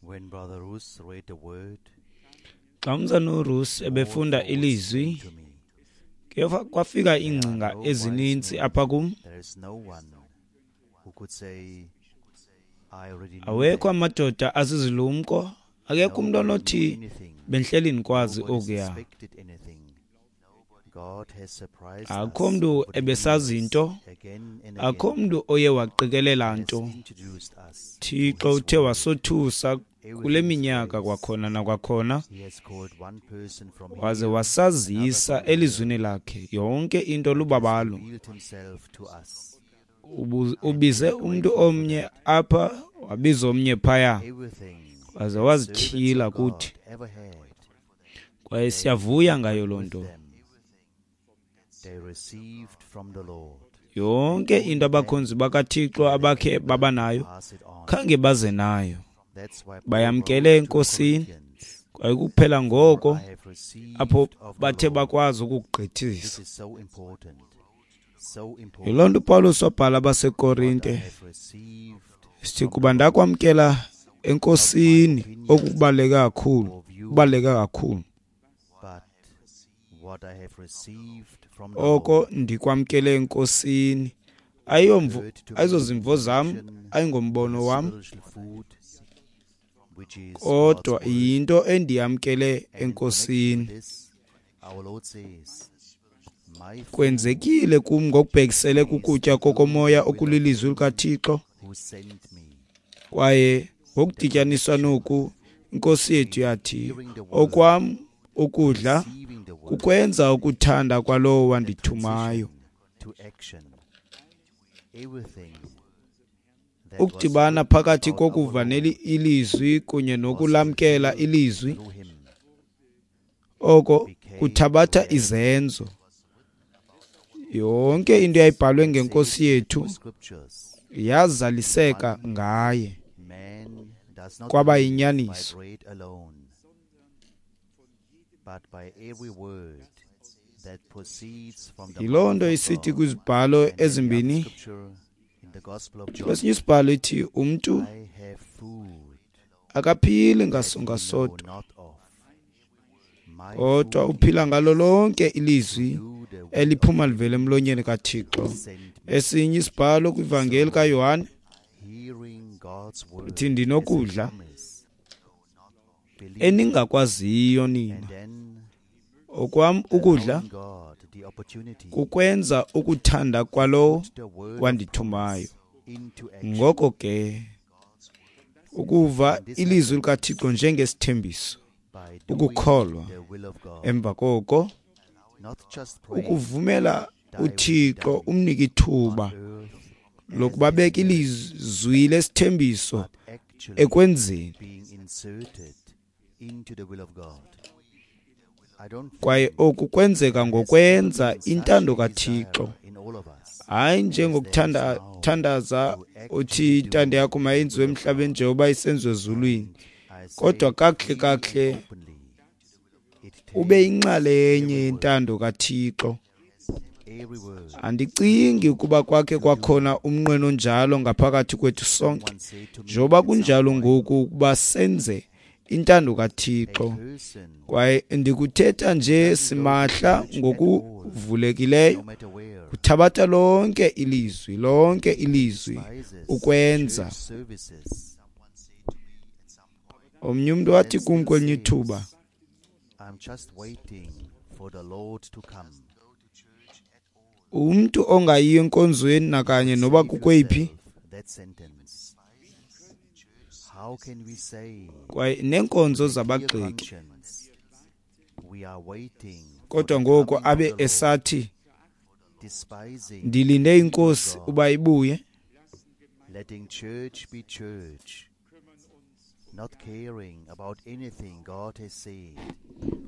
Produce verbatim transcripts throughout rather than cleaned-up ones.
When Brother Roos read the word, Xa umzana uRusi ebefunda more thoughts ilizwi, came to me. kuye kwafika iingcinga ezininzi apha kum. There is no one who could say, I already knew Awekho that. amadoda azizilumko, akekho umntu Nobody knew onothi anything. bendihleli ndikwazi Nobody okuya. suspected anything. God has surprised Akukho us mntu over the ebesazi years, nto, again and akukho again, mntu oye waqikelela has nto. introduced us to Thixo His uthe word. wasothusa kule Everything is minyaka grace. kwakhona nakwakhona, He has called one person from waze here, another wasazisa from there, elizwini lakhe yonke into and has lubabalo. revealed himself to us. Ubu- And we Ubize are umntu grateful for omnye that. apha, wabiza omnye phaya, Everything waze that servants wazityhila of God kuthi. ever had, Kwaye they siyavuya ngayo took loo with nto. them. They received from the Lord, and Yonke only into then abakhonzi bakaThixo were they abakhe able baba to nayo pass it on. khange baze nayo, That's why Paul bayamkele wrote to the eNkosini. Corinthians, Kwaye kuphela For ngoko I have received apho of the bathe Lord. bakwazi This ukugqithisa. is so important, so Yiloo important. nto uPawulos wabhala What I abaseKorinte have received sithi, from the kuba Lord, ndakwamkela not my eNkosini opinion okubaluleke kakhulu, or view, kubaluleke kakhulu but what I have received from the oko Lord. ndikwamkele eNkosini. Ayiyomvo, Heard to me ayizozimvo in zam, connection with ayingombono the wam, spiritual food, which is God's kodwa word. yinto endiyamkele And in connection with eNkosini. this, our Lord says, My food Kwenzekile kum ngokubhekisele is to kukutya do kokomoya the will of okulilizwi him likaThixo, who sent me. kwaye The ngokudityaniswa connection noku iNkosi yethu yathi, hearing the word, okwam ukudla receiving the word, kukwenza ukuthanda kwalowo the wandithumayo. transition to action. Everything that was Ukudibana written phakathi about our kokuva Lord neli ilizwi kunye was nokulamkela revealed ilizwi, through him, oko became kuthabatha reality. izenzo. Yonke into eyayibhalwe And ngenkosi says in yethu two scriptures, yazaliseka one ngaye, man does not kwaba live by yinyaniso. bread alone, but by every word that proceeds from the Yiloo mouth nto of isithi God. kwizibhalo And then the other ezimbini, scripture in the Gospel of John, kwesinye isibhalo ithi umntu I have food akaphili that ngasonga ye know sodwa, not of. My kodwa food uphila ngalo is lonke to ilizwi do the will of eliphuma him livela emlonyeni kaThixo. who sent me. Esinye isibhalo kwivangeli So, kaYohane hearing God's ithi, word as a ndinokudla promise, believing, eningakwaziyo and nina. then Okwam ukudla allowing God the opportunity kukwenza ukuthanda to kwalowo put the word of wandithumayo. promise into action. Ngoko ke ukuva And this ilizwi happens likaThixo njengesithembiso, by doing ukukholwa, the will of God, emva koko not just praying, ukuvumela thy will be uThixo done umnike on ithuba earth as lokuba it is beke in heaven, ilizwi lesithembiso but actually ekwenzeni. being inserted into the will of God. I don't Kwaye think oku kwenzeka there has ever ngokwenza been such intando a desire kaThixo, in all of us hayi as there is njengokuthanda now thandaza to uthi actually intando do yakho the mayenziwe will of emhlabeni God. njengoba isenziwa ezulwini, And I say kodwa it kakuhle freely and kakuhle openly, it ube takes yinxalenye every word, yentando kaThixo. every word Andicingi ukuba kwakhe to do. kwakhona umnqweno onjalo ngaphakathi kwethu sonke, Someone said to me njengoba at some kunjalo point, ngoku ukuba senze intando a kaThixo. person Kwaye ndikuthetha nje doesn't go to simahla church at all, ngokuvulekileyo, no matter where. kuthabatha lonke ilizwi, lonke ilizwi Despises ukwenza. church services Omnye umntu and wathi then kum still kwelinye ithuba, says, I'm just waiting for the Lord to come. umntu ongayiyo enkonzweni You nakanye could noba say to kukweyiphi, yourself that sentence. How can we say kwaye neenkonzo with a clear zabagxeki, conscience we are waiting for kodwa the ngoku coming of abe the Lord, esathi despising ndilinde the people of inkosi God, uba ibuye? letting church be church, not caring about anything God has said?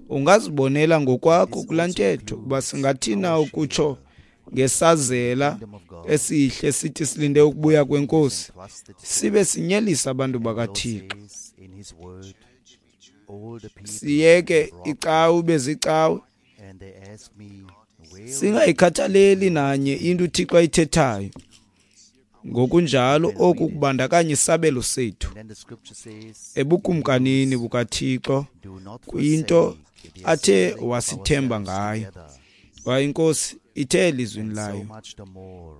Ungazibonela And ngokwakho this kulaa also ntetho ukuba includes singathina our ukutsho share in the ngesazela kingdom of God esihle sithi silinde with ukubuya what He has kwenkosi, entrusted to sibe us. sinyelisa abantu And the Lord bakaThixo. says in His word, all the people Siyeke have robbed icawe me, ibe zicawe, and they ask me, where is singayikhathaleli your nanye into uThixo ayithethayo. Ngokunjalo oku kubandakanya isabelo sethu And then the scripture says, ebukumkanini bukaThixo do not kwinto forsake the athe assembling of wasithemba ourselves ngayo. together, Kwaye iNkosi ithe elizwini and so layo, much the more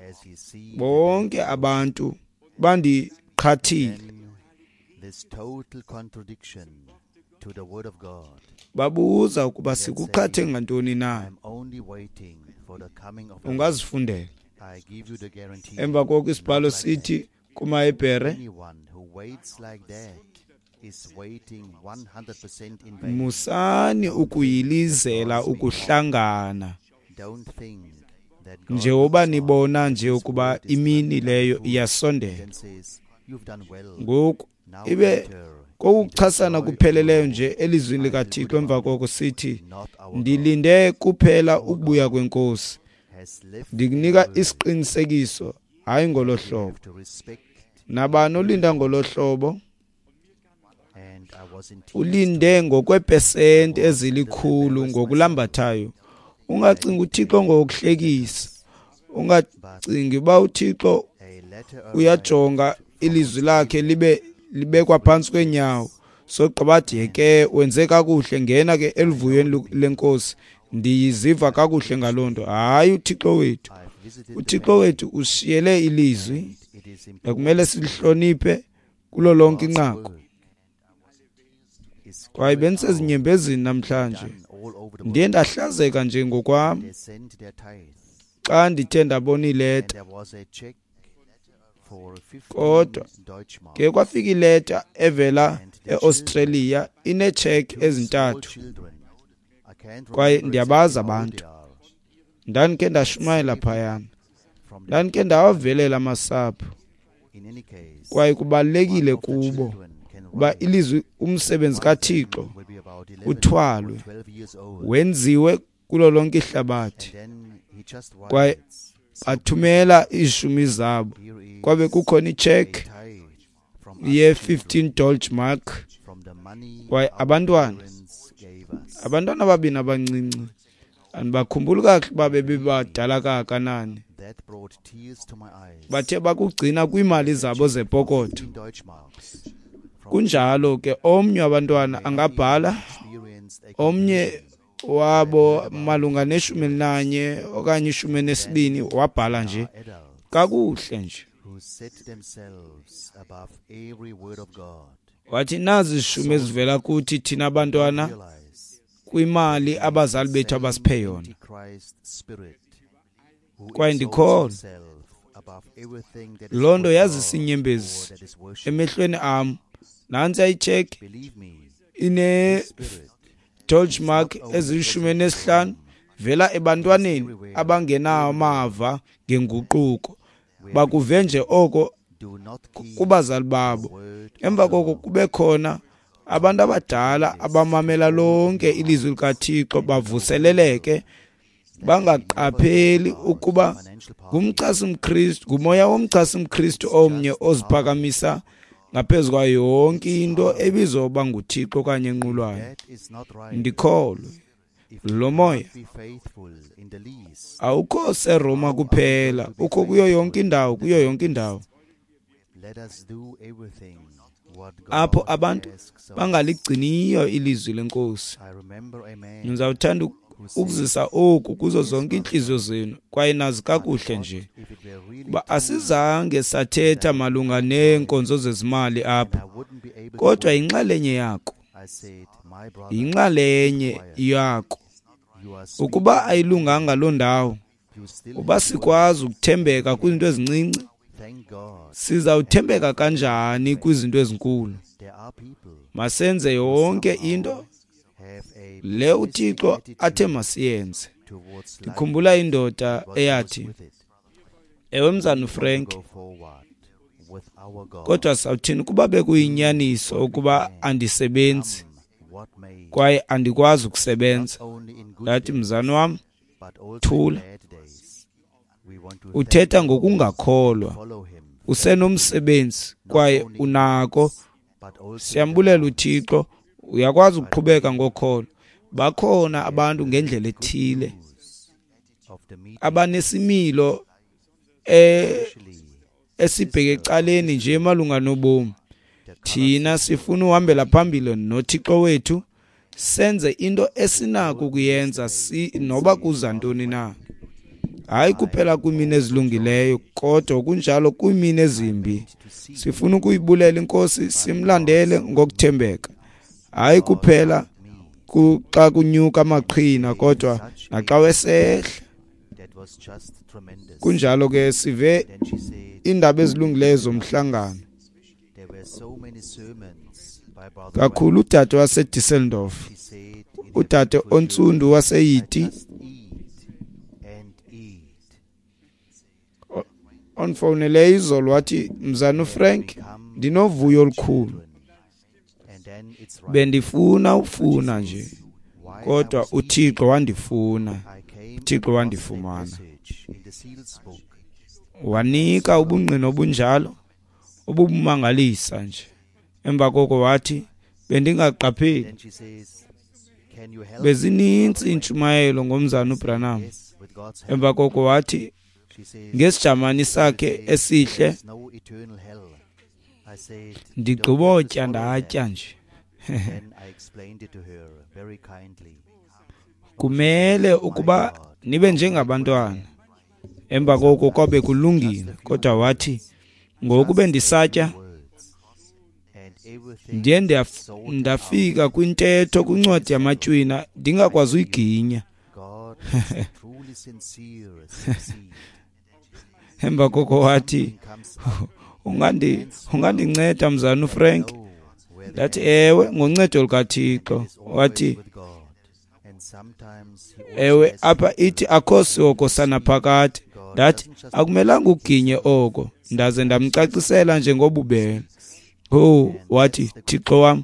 as ye see the day bonke abantu bandiqhathile. Then this total contradiction to the word of God. Babuza ukuba sikuqhathe ngantoni na. I'm only waiting for the coming of the Lord. Ungazifundela. I give you the guarantee. Emva koko isibhalo Not like that. sithi kumaHebhere, Anyone who waits like that is waiting one hundred percent in vain. musani ukuyilizela ukuhlangana Don't think that God njengoba looks on nibona nje his ukuba word is imini untrue. leyo iyasondela. Then says, you've done well. Ngoku Now ibe enter kokuchasana into the joy of the kupheleleyo Lord. nje elizwini I feel good likaThixo. Emva about it. koko sithi, Not our God ndilinde kuphela ukubuya kweNkosi. has left Ndikunika a word isiqinisekiso, hayi ngolo we hlobo. have to respect. Nabani olinda ngolo hlobo And I was in tears ulinde ngokweepesenti ezilikhulu ngokulambathayo. Ungacingi uThixo ngokuhlekisa, ungacingi uba uThixo A letter arrived uyajonga ilizwi lakhe libe libekwa phantsi kweenyawo, sogqiba athi yeke wenze kakuhle, ngena ke eluvuyweni lu-, lenkosi, ndiyiziva kakuhle ngaloo nto. Hayi, uThixo wethu, I've visited the uThixo bank wethu usishiyele ilizwi and it is ekumele important silihloniphe kulo lonke God's inqaku. work is Kwaye carried out, bendisezinyembezini namhlanje, done all over the ndiye world. ndahlazeka nje ngokwam They sent their tithe. xa ndithe ndabona And ileta. there was a check for fifteen Kodwa Deutschmarks. ke kwafika ileta evela And the eAustralia ineetsheki Two small ezintathu. children. I can't Kwaye remember ndiyabazi exactly how old abantu. they are. Ndandikhe ndashumayela phayana, From the ndandikhe ndawavelela amasapho. In any case, Kwaye kubalulekile one of the kubo children can uba write. ilizwi, umsebenzi One of them kaThixo will be about eleven uthwalwe, or twelve years old. wenziwe kulo lonke ihlabathi. And then he just Kwaye writes, so bathumela iishumi zabo. here is Kwabe kukhona itshekhi a tithe from us ye children, fifteen Deutschmark. from the money Kwaye our abantwana, parents gave us. abantwana ababini abancinci, andibakhumbuli kakuhle uba bebebadala kangakanani, That brought tears to my eyes. bathe bakugcina kwiimali zabo zepokotho. Fifteen Deutschmarks from Kunjalo ke omnye wabantwana may not angabhala, even experienced a omnye conversion. wabo malunga neshumi elinanye okanye ishumi elinesibini wabhala nje Are adults kakuhle nje. who set themselves above every word of God. Wathi nazi izishumi ezivela kuthi thina bantwana Realize kwimali abazali bethu same abasiphe yona. Antichrist spirit who Kwaye exalts ndikholwa himself above everything that is loo nto called yazisa God iinyembezi or that is worshipped. emehlweni am. Nantsi ayitshekhi Believe me, ine this spirit Deutschmark ezilishumi elinesihlanu vela ebantwaneni abangenamava ngenguquko, bakuve nje oko do not keep kubazali the babo. word of Emva the koko Lord. kube khona abantu abadala abamamela lonke ilizwi likaThixo, bavuseleleke, bangaqapheli ukuba ngumchasi mKristu, ngumoya womchasi mKristu omnye oziphakamisa ngaphezu kwayo yonke into ebizwa uba nguThixo okanye enqulwayo. That is not right. Ndikholwe If lo you moya cannot be faithful in the least, awukho seRoma kuphela, ukho kuyo yonke indawo, kuyo yonke indawo let us do everything what apho God abantu asks of us. bangaligciniyo ilizwi lenkosi. I remember a man Ndizawuthanda who said, ukuzisa oku kuzo zonke iintliziyo zenu, kwaye nazi kakuhle nje if it were really uba true, asizange sathetha malunga neenkonzo zezimali and apha, I wouldn't be able to kodwa work. yinxalenye yako, I said, my brother, yinxalenye yako. you are Ukuba speaking, ayilunganga loo ndawo, you still uba have work. sikwazi ukuthembeka kwizinto ezincinci, Thank God sizawuthembeka kanjani kwizinto ezinkulu? there are people Masenze yonke into have a le pessimistic uThixo athe attitude masiyenze. towards life Ndikhumbula indoda and what goes eyathi, with it. ewe mzana We want to uFrank, go forward with our God. kodwa sawuthini ukuba bekuyinyaniso ukuba andisebenzi Come what may, kwaye andikwazi ukusebenza? not only in good Ndathi, days, mzana wam, but also in thula. bad days. We want to thank Uthetha the Lord, ngokungakholwa, follow him usenomsebenzi kwaye only in unako. but also in the Siyambulela dark. uThixo, uyakwazi ukuqhubeka ngokholo. Bakhona abantu ngendlela ethile News of the meeting, abanesimilo eh especially esibheke ecaleni nje malunga nobomi. Thina sifuna uhambela phambili noThixo wethu, senze into esinako ukuyenza si noba kuza ntoni na. Hayi kuphela kwiimini ezilungileyo, kodwa kunjalo kwiimini ezimbi. Sifuna ukuyibulela iNkosi, simlandele ngokuthembeka. Hayi kuphela xa kunyuka amaqhina, kodwa naxa wesehla. Kunjalo ke sive iindaba ezilungileyo zomhlangano. Kakhulu udade waseDusseldorf, udade ontsundu waseYiti, ondifowunele izolo wathi, Mzana uFrank, ndinovuyo olukhulu. Bendifuna ufuna nje, kodwa uThixo wandifuna. uThixo wandifumana. Wanika ubungqina obunjalo obubumangalisa nje. Emva koko wathi, bendingaqapheli. Bezininzi iintshumayelo ngomzana uBranham. Emva koko wathi, ngesijamani sakhe esihle, ndigqibotya ndatya nje. Kumele ukuba nibe njengabantwana. Emva koko kwabe kulungile, kodwa wathi, ngoku bendisatya, ndiye ndafika kwintetho kwincwadi yamatywina ndingakwazi uyiginya. Emva koko wathi, ungandi ungandinceda mzana uFrank? Ndathi, ewe, ngoncedo lukaThixo. Wathi, ewe, apha ithi akho sihogo sanaphakade. Ndathi, akumelanga uginye oko. Ndaze ndamcacisela nje ngobubele. Oh, wathi, Thixo wam,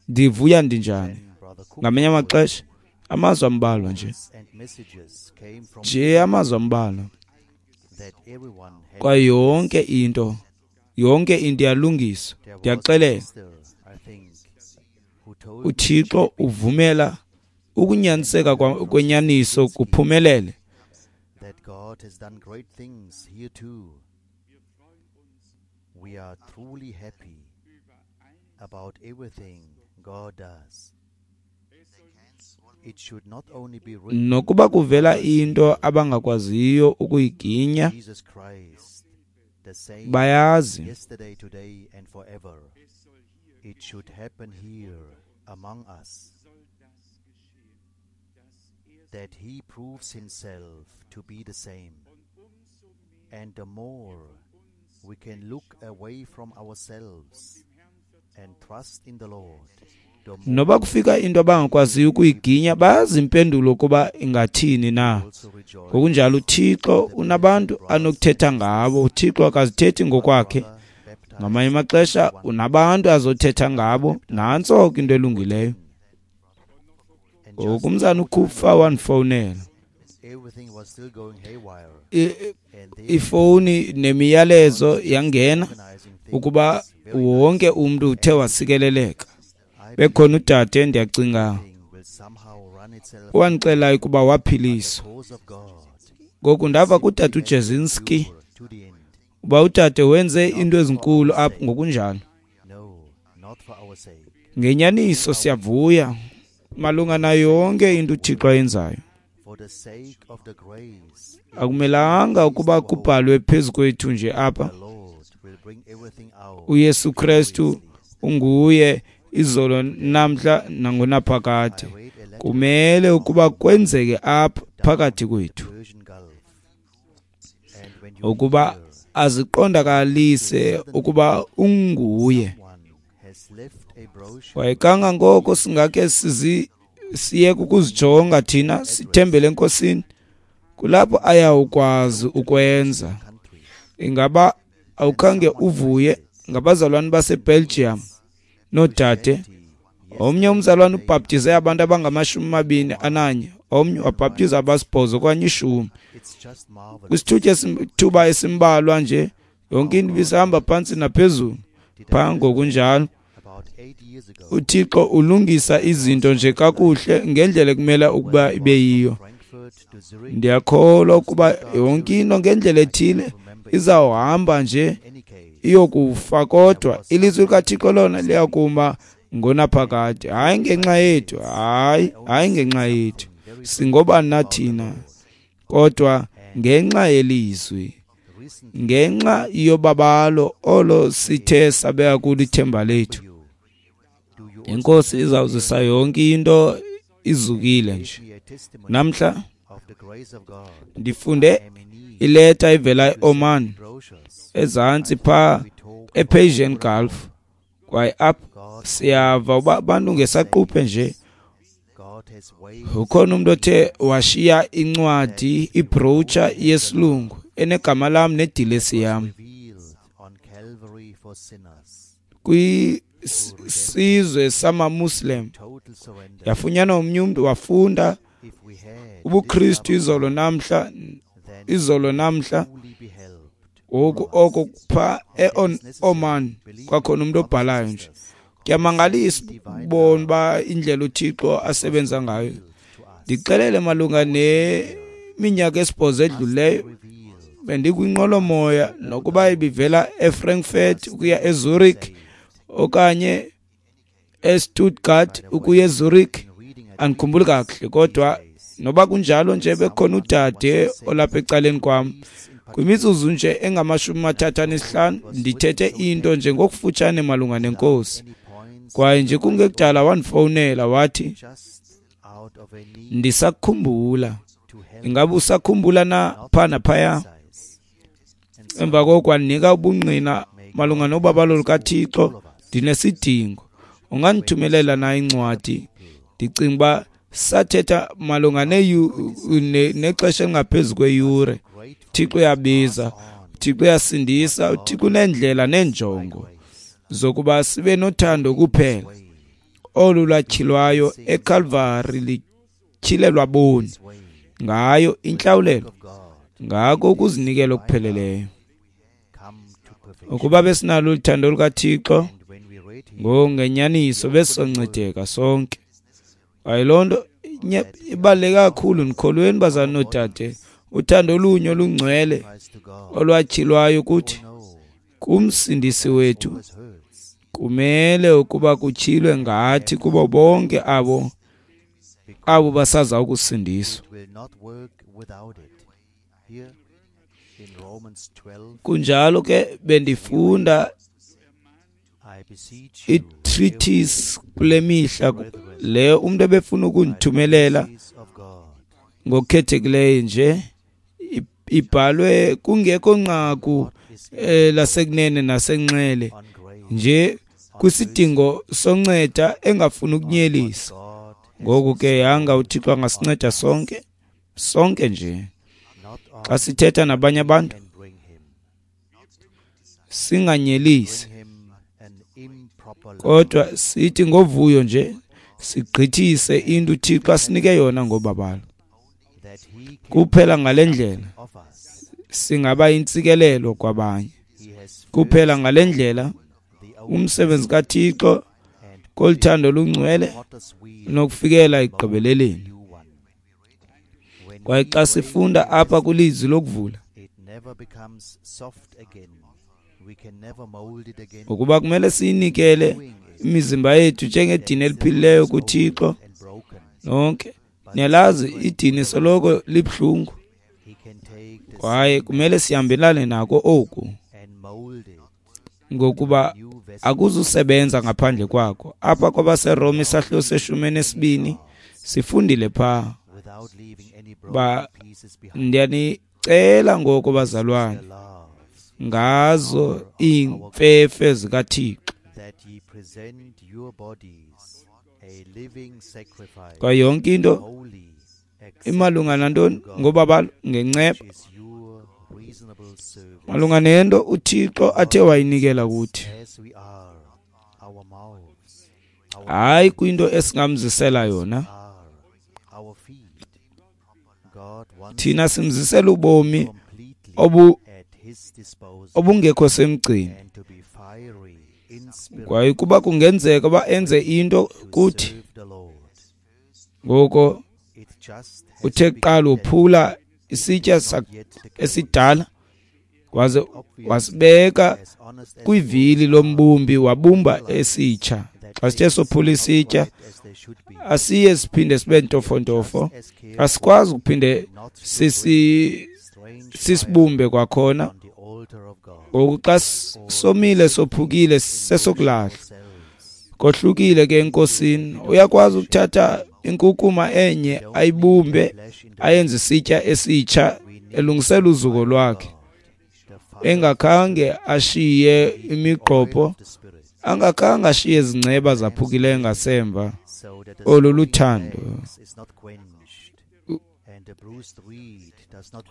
ndivuya ndinjani. Ngamanye amaxesha amazwi ambalwa nje, nje amazwi ambalwa, kwaye yonke into, yonke into iyalungiswa. Ndiyaxelela, uThixo uvumela ukunyaniseka kwenyaniso kuphumelele. Nokuba kuvela into abangakwaziyo ukuyiginya, bayazi. That he proves himself to be the same. And the more we can look away from ourselves and trust in the Lord. Noba kufika into abangakwaziyo ukuyiginya, bayazi impendulo kuba ingathini na. Ngokunjalo uThixo unabantu anokuthetha ngabo. uThixo akazithethi ngokwakhe. Ngamanye amaxesha unabantu azothetha ngabo. Nantso ke into elungileyo. Ngoku umzana uKupfa wandifowunela. Ifowuni nemiyalezo yangena ukuba wonke umntu uthe wasikeleleka. Bekhona udade, ndiyacinga, wandixelayo ukuba waphiliswa. Ngoku ndava kudade uJezinski uba udade wenze into ezinkulu apho ngokunjalo. Ngenyaniso siyavuya malunga nayo yonke into uThixo ayenzayo. Akumelanga ukuba kubhalwe phezu kwethu nje apha. uYesu Kristu unguye izolo, namhla nangonaphakade. Kumele ukuba kwenzeke apha phakathi kwethu, ukuba aziqondakalise ukuba unguye. Kwaye kangangoko singake sizi siyeke ukuzijonga thina, sithembele eNkosini, kulapho ayawukwazi ukwenza. Ingaba awukhange uvuye ngabazalwane baseBelgium noodade? Omnye umzalwane ubhaptize abantu abangamashumi amabini ananye, omnye wabhaptiza abasibhozo okanye ishumi. Kwisithuba thuba esimbalwa nje, yonke into ibisahamba phantsi naphezulu phaa. Ngokunjalo uThixo ulungisa izinto nje kakuhle ngendlela ekumele ukuba ibe yiyo. Ndiyakholwa ukuba yonke into ngendlela ethile Izawuhamba nje iyokufa, kodwa ilizwi likaThixo lona liyakuma ngonaphakade. Hayi ngenxa yethu, hayi hayi ngenxa yethu, singobani na thina, kodwa ngenxa yelizwi, ngenxa yobabalo olo sithe sabeka kulo ithemba lethu. Inkosi izawuzisa yonke into izukile nje. Namhla ndifunde ileta ivela eOman, ezantsi pha ePersian Gulf, kwaye apho siyava uba abantu ngesaquphe nje. Ukhona umuntu othe washiya incwadi, ibrochure yesilungu enegama lam nedilesi yam kwisizwe samaMuslim. Yafunyanwa omnye umntu wafunda ubuKristu izolo namhla, izolo namhla ngoku oko pha eOman kwakhona umuntu obhalayo nje. Kuyamangalisa ukubona uba indlela uThixo asebenza ngayo. Ndixelele malunga neminyaka esibhozo edlulileyo, bendikwinqwelomoya nokuba ibivela eFrankfurt ukuya eZurich okanye eStuttgart ukuya eZurich, andikhumbuli kakuhle, kodwa noba kunjalo nje bekhona udade olapha ecaleni kwam. Kwimizuzu nje engamashumi mathathu anesihlanu ndithethe into nje ngokufutshane malunga nenkosi, kwaye nje kungekudala wandifowunela wathi, ndisakukhumbula. Ingabe usakhumbula na pha naphaya? Emva koko wandinika ubungqina malunga nobabalo lukaThixo. Ndinesidingo, ungandithumelela na incwadi? Ndicinga uba sathetha malunga nexesha elingaphezu kweyure. Thixo uyabiza, Thixo uyasindisa, uThixo unendlela neenjongo zokuba sibe nothando kuphela olu lwatyhilwayo eCalvary lityhilelwa boni ngayo intlawulelo, ngako ukuzinikela okupheleleyo. Ukuba besinalo uthando lukaThixo ngongenyaniso besizoncedeka sonke. Kwaye loo nto ibaluleke kakhulu. Ndikholweni bazalwane noodade, uthando olunye olungcwele olwatyhilwayo kuthi kumsindisi wethu kumele ukuba kutyhilwe ngathi kubo bonke abo abo basaza ukusindiswa. Kunjalo ke bendifunda i-treatise kule mihla leyo umuntu ebefuna ukundithumelela ngokukhethekileyo nje, ibhalwe kungekho nqaku lasekunene nasenxele nje, kwisidingo sonceda engafuni ukunyelisa. Ngoku ke yanga uThixo angasinceda sonke sonke nje xa sithetha nabanye abantu singanyelisi, kodwa sithi ngovuyo nje sigqithise into uThixo asinike yona ngobabalo. Kuphela ngale ndlela singaba intsikelelo kwabanye. Kuphela ngale ndlela umsebenzi kaThixo koluthando olungcwele nokufikela ekugqibeleleni. Kwaye xa sifunda apha kwilizwi lokuvula ukuba kumele siyinikele imizimba yethu njengedini eliphilileyo kuThixo nonke. Niyalazi idini soloko libuhlungu, kwaye kumele sihambelane nako oku, ngokuba akuzusebenza ngaphandle kwako. Apha kwabaseRoma isahluko seshumi nesibini sifundile pha ba ndiyanicela ngoko bazalwane ngazo iimfefe zikaThixo, kwaye yonke into imalunga nantoni ngobabalo ngenceba, malunga nento uThixo athe wayinikela kuthi, hayi kwinto esingamzisela yona. Thina simzisela ubomi obu obungekho semgcini, kwaye kuba kungenzeka uba enze into kuthi ngoko uthe kuqala uphula isitya esidala Waze wasibeka kwivili lombumbi, wabumba esitsha. Xa sithe sophula isitya, asiye siphinde sibe ntofontofo, asikwazi ukuphinde sisi sisibumbe kwakhona. Ngoku xa somile sophukile sesokulahla. Kohlukile ke enkosini, uyakwazi ukuthatha inkukuma enye ayibumbe ayenze isitya esitsha elungisela uzuko lwakhe, engakhange ashiye imigqobho, angakhange ashiye izingceba zaphukileyo ngasemva. Olu luthando,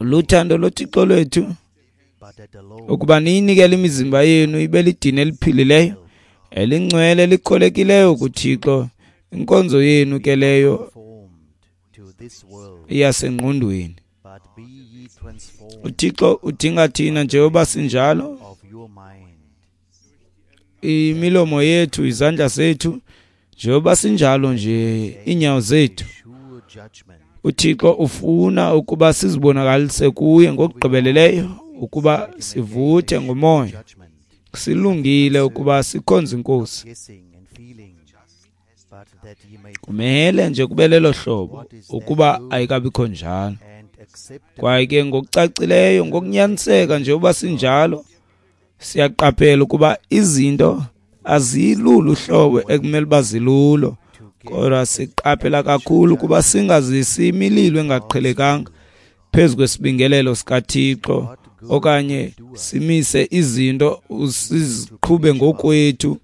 luthando loThixo lwethu, ukuba niyinikele imizimba yenu ibe lidini eliphilileyo, elingcwele, elikholekileyo kuThixo. Inkonzo yenu ke leyo iyasengqondweni. UThixo udinga thina njengoba sinjalo, imilomo yethu, izandla zethu, njengoba sinjalo nje, iinyawo zethu. UThixo ufuna ukuba sizibonakalise kuye ngokugqibeleleyo, ukuba sivuthe ngomoya, silungile ukuba sikhonze iNkosi. Kumele nje kube lelo hlobo, ukuba ayikabikho njalo. Kwaye ke ngokucacileyo, ngokunyaniseka njengoba sinjalo, siyaqaphela ukuba izinto azilulo uhlobo ekumele uba zilulo, kodwa siqaphela kakhulu ukuba singazisi imililo engaqhelekanga phezu kwesibingelelo sikaThixo, okanye simise izinto siziqhube ngokwethu.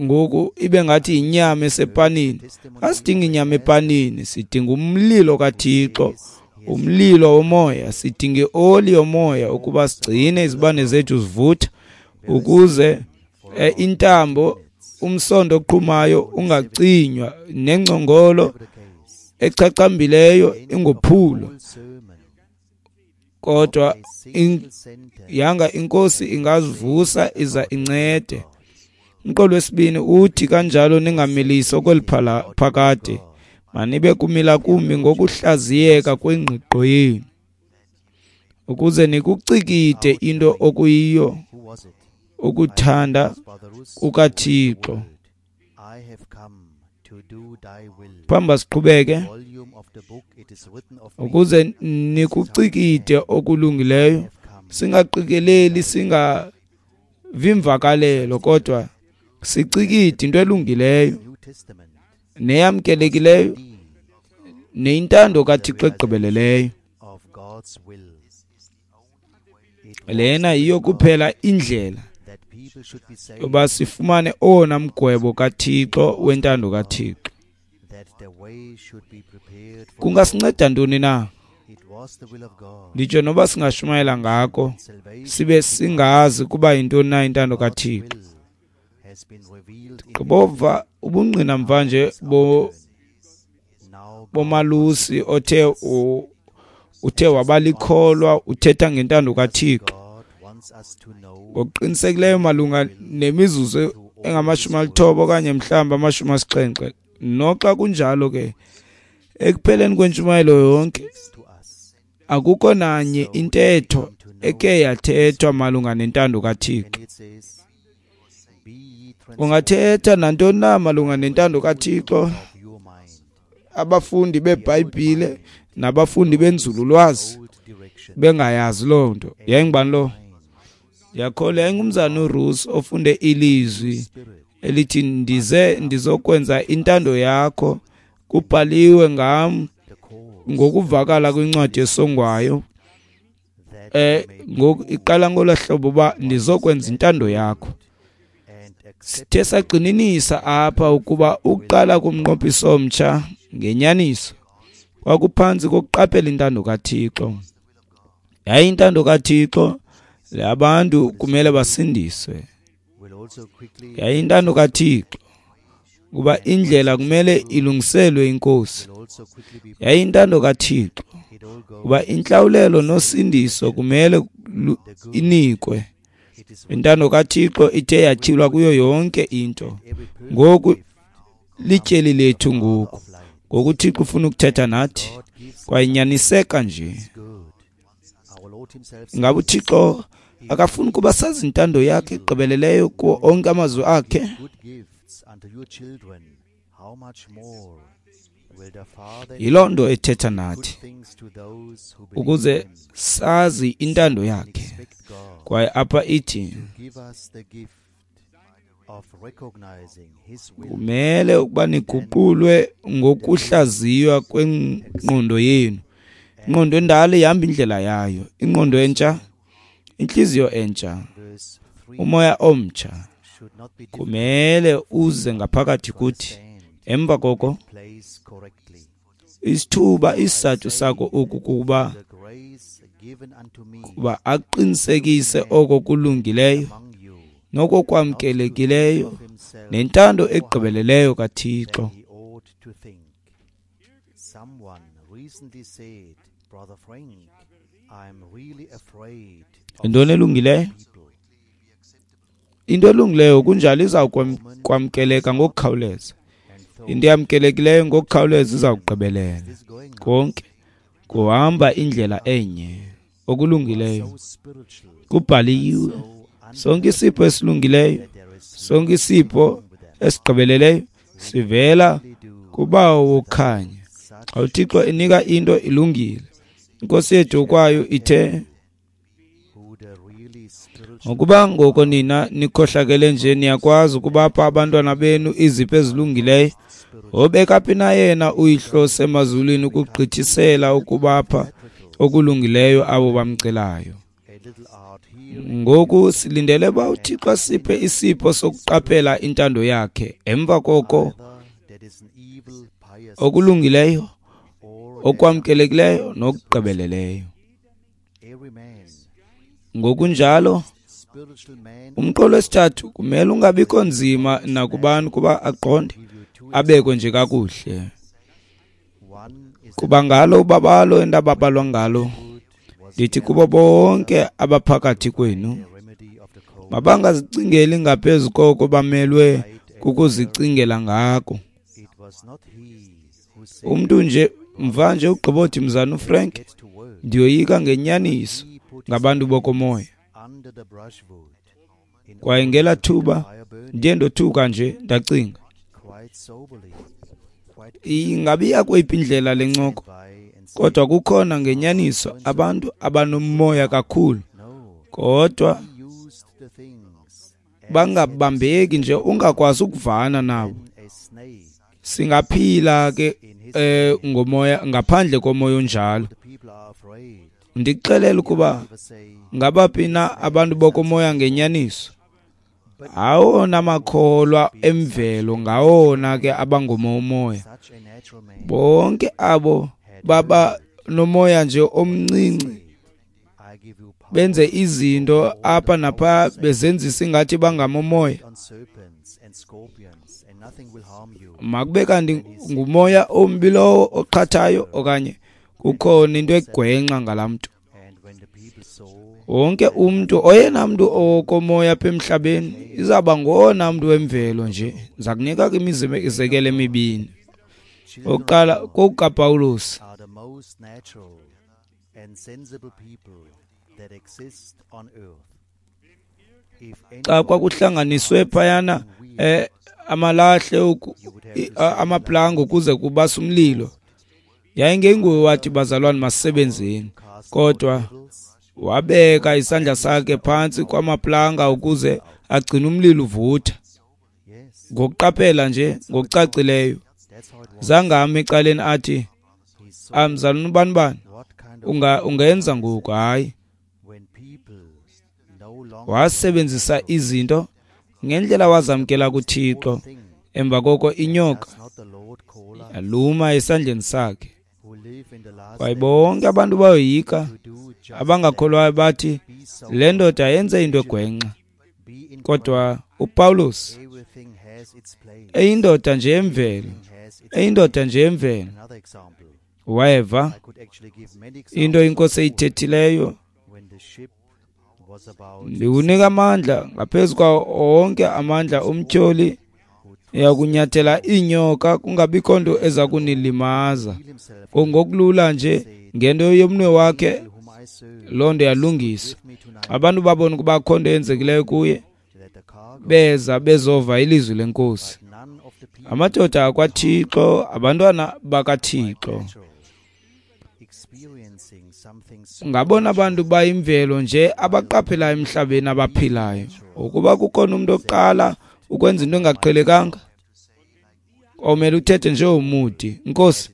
Ngoku ibe ngathi inyama esepanini. Asidingi inyama epanini, sidinga umlilo kaThixo, umlilo womoya. Sidinga ioli yomoya ukuba sigcine izibane zethu zivutha, ukuze intambo, umsondo oqhumayo ungacinywa, nengcongolo echachambileyo ingophulwa. Kodwa yanga iNkosi ingazivusa iza incede. Umqolo wesibini uthi, kanjalo ningamilisi okweli phakade, manibe kumila kumbi ngokuhlaziyeka kwengqiqo yenu, ukuze nikucikide into okuyiyo ukuthanda kukaThixo. Phambi siqhubeke, ukuze nikucikide okulungileyo, singaqikeleli, singavimvakalelo, kodwa sicikide into elungileyo neyamkelekileyo neyintando kaThixo egqibeleleyo. Lena yiyo kuphela indlela yoba sifumane owona mgwebo kaThixo wentando kaThixo. Kungasinceda ntoni na? Nditsho noba singashumayela ngako, sibe singazi kuba yintoni na intando kaThixo. Gqibova ubungqina mvanje bo bomalusi othe uthe wabalikholwa, uthetha ngentando kaThixo. Ngokuqinisekileyo malunga nemizuzu engamashumi alithoba okanye mhlawumbi amashumi asixhenxe. Noxa kunjalo ke, ekupheleni kwentshumayelo yonke akukho nanye intetho eke yathethwa malunga nentando kaThixo. Ungathetha nantoni na malunga nentando kaThixo, abafundi beBhayibhile nabafundi benzululwazi bengayazi loo nto. Yayingubani lo? Ndiyakholwa yayingumzana uRuth ofunde ilizwi elithi, ndize ndizokwenza intando yakho, kubhaliwe ngam ngokuvakala kwincwadi esongwayo. Eh ngoku iqala ngolwa hlobo uba ndizokwenza intando yakho. Sithe sagxininisa apha ukuba ukuqala kumnqophiso omtsha ngenyaniso kwakuphantsi kokuqaphela intando kaThixo. Yaye intando kaThixo abantu kumele basindiswe. Yaye intando kaThixo kuba indlela kumele ilungiselwe iNkosi. Yaye intando kaThixo kuba intlawulelo nosindiso kumele inikwe. Intando kaThixo ithe yatyhilwa kuyo yonke into. Ngoku lityeli lethu ngoku. Ngoku uThixo ufuna ukuthetha nathi, kwaye nyaniseka nje. Ingaba uThixo akafuni ukuba sazi intando yakhe egqibeleleyo kuwo onke amazwi akhe? Yiloo nto ethetha nathi, ukuze sazi intando yakhe. Kwaye apha ithi kumele ukuba niguqulwe ngokuhlaziywa kwengqondo yenu. Ingqondo endala ihamba indlela yayo, ingqondo entsha, intliziyo entsha, umoya omtsha kumele uze ngaphakathi kuthi. Emva koko isithuba isizathu sako oku kuba kuba aqinisekise oko kulungileyo noko kwamkelekileyo nentando egqibeleleyo kaThixo. Yintoni elungileyo? Into elungileyo kunjalo iza kwamkeleka ngokukhawuleza. Into eyamkelekileyo ngokukhawuleza iza kugqibelela. Konke kuhamba indlela enye. Okulungileyo kubhaliwe. Sonke isipho esilungileyo, sonke isipho esigqibeleleyo sivela kuBawo wokukhanya. Xa uThixo enika into ilungile, iNkosi yethu kwayo ithe, ngokuba ngoko nina nikhohlakele nje niyakwazi ukubapha abantwana benu izipho ezilungileyo, wobeka phi na yena uYihlo osemazulwini ukugqithisela ukubapha okulungileyo abo bamcelayo. Ngoku silindele uba uThixo asiphe isipho sokuqaphela intando yakhe. Emva koko okulungileyo, okwamkelekileyo nokugqibeleleyo. Ngokunjalo umqolo wesithathu kumele ungabikho nzima nakubani kuba aqonde, abekwe nje kakuhle. Kuba ngalo ubabalo endababalwa ngalo, ndithi kubo bonke abaphakathi kwenu, mabangazicingeli ngaphezu koko bamelwe kukuzicingela ngako. Umntu nje mva nje ugqibothi mzana uFrank, ndiyoyika ngenyaniso ngabantu bokomoya. Kwaye ngela thuba ndiye ndothuka nje ndacinga, ingabe iya kweyiphi indlela le ncoko? Kodwa kukhona ngenyaniso abantu abanomoya kakhulu, kodwa bangabambeki nje, ungakwazi ukuvana nabo. Singaphila ke eh, ngomoya ngaphandle komoya onjalo. Ndikuxelela ukuba ngabaphi na abantu bokomoya ngenyaniso? Awona makholwa emvelo ngawona ke abangomoya. Bonke abo baba nomoya nje omncinci, benze izinto apha napha bezenzisa ingathi bangamomoya. Makube kanti ngumoya ombi lowo oqhathayo okanye kukhona into egwenxa ngalaa mntu. Wonke umntu, oyena mntu okomoya apha emhlabeni izawuba ngowona mntu wemvelo nje. Ndiza kunika ke imizekelo emibini. Okokuqala kokukaPawulos. Xa kwakuhlanganiswe phayana eh, amalahle amaplanga ukuze kubasa umlilo, yayingenguye wathi bazalwane masisebenzeni, kodwa wabeka isandla sakhe phantsi kwamaplanga ukuze agcine umlilo uvutha. Ngokuqaphela nje ngokucacileyo, zange ame ecaleni athi, mzalwane ubani bani unga ungenza ngoku. Hayi, wasebenzisa izinto ngendlela wazamkela kuThixo. Emva koko inyoka yaluma esandleni sakhe. Kwaye bonke abantu bayoyika, abangakholwayo bathi le ndoda yenze into egwenxa. Kodwa uPawulos eyindoda nje emvelo, eyindoda nje emvelo, weva into iNkosi eyithethileyo, ndikunika amandla ngaphezu kwawo onke amandla omtyholi, uyakunyathela iinyoka kungabikho nto eza kunilimaza. Ngokulula nje ngento yomnwe wakhe Loo nto yalungiswa. Abantu babona ukuba akho nto yenzekileyo kuye, beza bezova ilizwi lenkosi. Amadoda akwaThixo, abantwana bakaThixo, ngabona bantu bayimvelo nje abaqaphelayo emhlabeni abaphilayo. Ukuba kukhona umuntu oqala ukwenza into engaqhelekanga, omele uthethe nje umudi, Nkosi,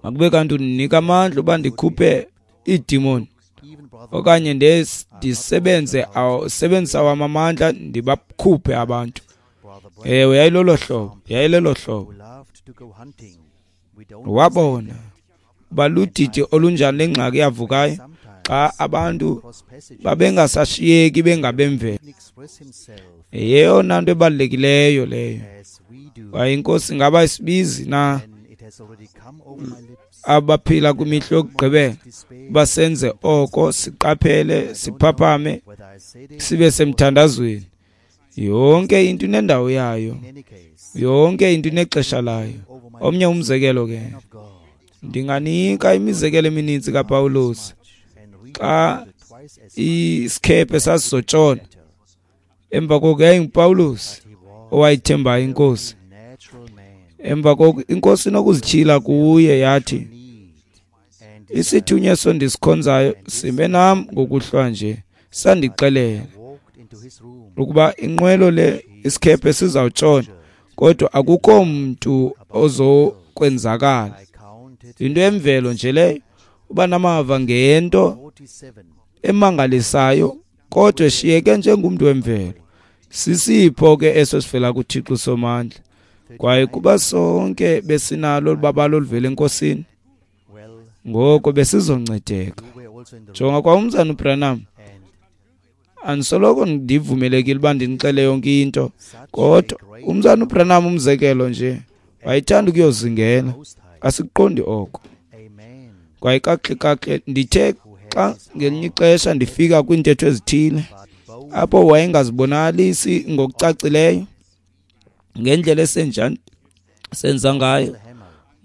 makube kanti undinika amandla uba ndikhuphe iidimoni okanye ndisebenze sebenzisa wam amandla ndibakhuphe abantu. Ewe, yayilolo hlobo, yayilelo hlobo. Wabona uba ludidi olunjani lengxaki yavukayo xa abantu babengasashiyeki bengabemvelo. Yeyona nto ebalulekileyo leyo. Kwaye inkosi ingaba isibizi na abaphila kwimihla yokugqibela basenze oko, siqaphele, siphaphame, sibe semthandazweni. Yonke into inendawo yayo, yonke into inexesha layo. Omnye umzekelo ke, ndinganika imizekelo emininzi kaPawulos xa isikhephe sasizotshona. Emva koko yayinguPawulos owayithembayo inkosi. Emva koko inkosi inokuzityhila kuye yathi, isithunywa eso ndisikhonzayo sime nam ngokuhlwa nje, sandixelela ukuba inqwelo le isikhephe sizawutshona, kodwa akukho mntu ozokwenzakala. Into emvelo nje leyo, uba namava ngento emangalisayo, kodwa eshiyeke njengumntu wemvelo. Sisipho ke eso sivela kuThixo Somandla. Kwaye kuba sonke besinalo olubabalo oluvela enkosini, ngoko besizoncedeka. Jonga kwa umzana uBranham, andisoloko ndivumelekile uba ndinixele yonke into, kodwa umzana uBranham umzekelo nje wayethanda ukuyozingela. Asikuqondi oko. Kwaye kakuhle kakuhle ndithe xa ngelinye ixesha ndifika kwiintetho ezithile apho wayengazibonakalisi ngokucacileyo ngendlela esenjani senza ngayo,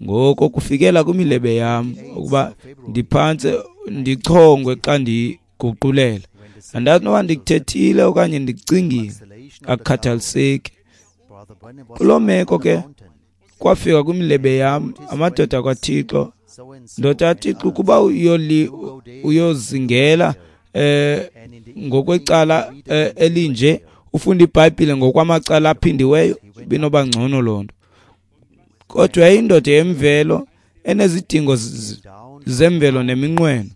ngoko kufikela kwimilebe yam ukuba ndiphantse ndichongwe xa ndiguqulela. Andazi noba ndikuthethile okanye ndikucingile, akukhathaliseki. Kuloo meko ke kwafika kwimilebe yam amadoda kwaThixo, ndoda yaThixo, ukuba uyoli uyozingela eh ngokwecala eh, elinje, ufunda iBhayibhile ngokwamacala aphindiweyo, binoba ngcono loo nto. Kodwa yayindoda yemvelo enezidingo zemvelo neminqweno.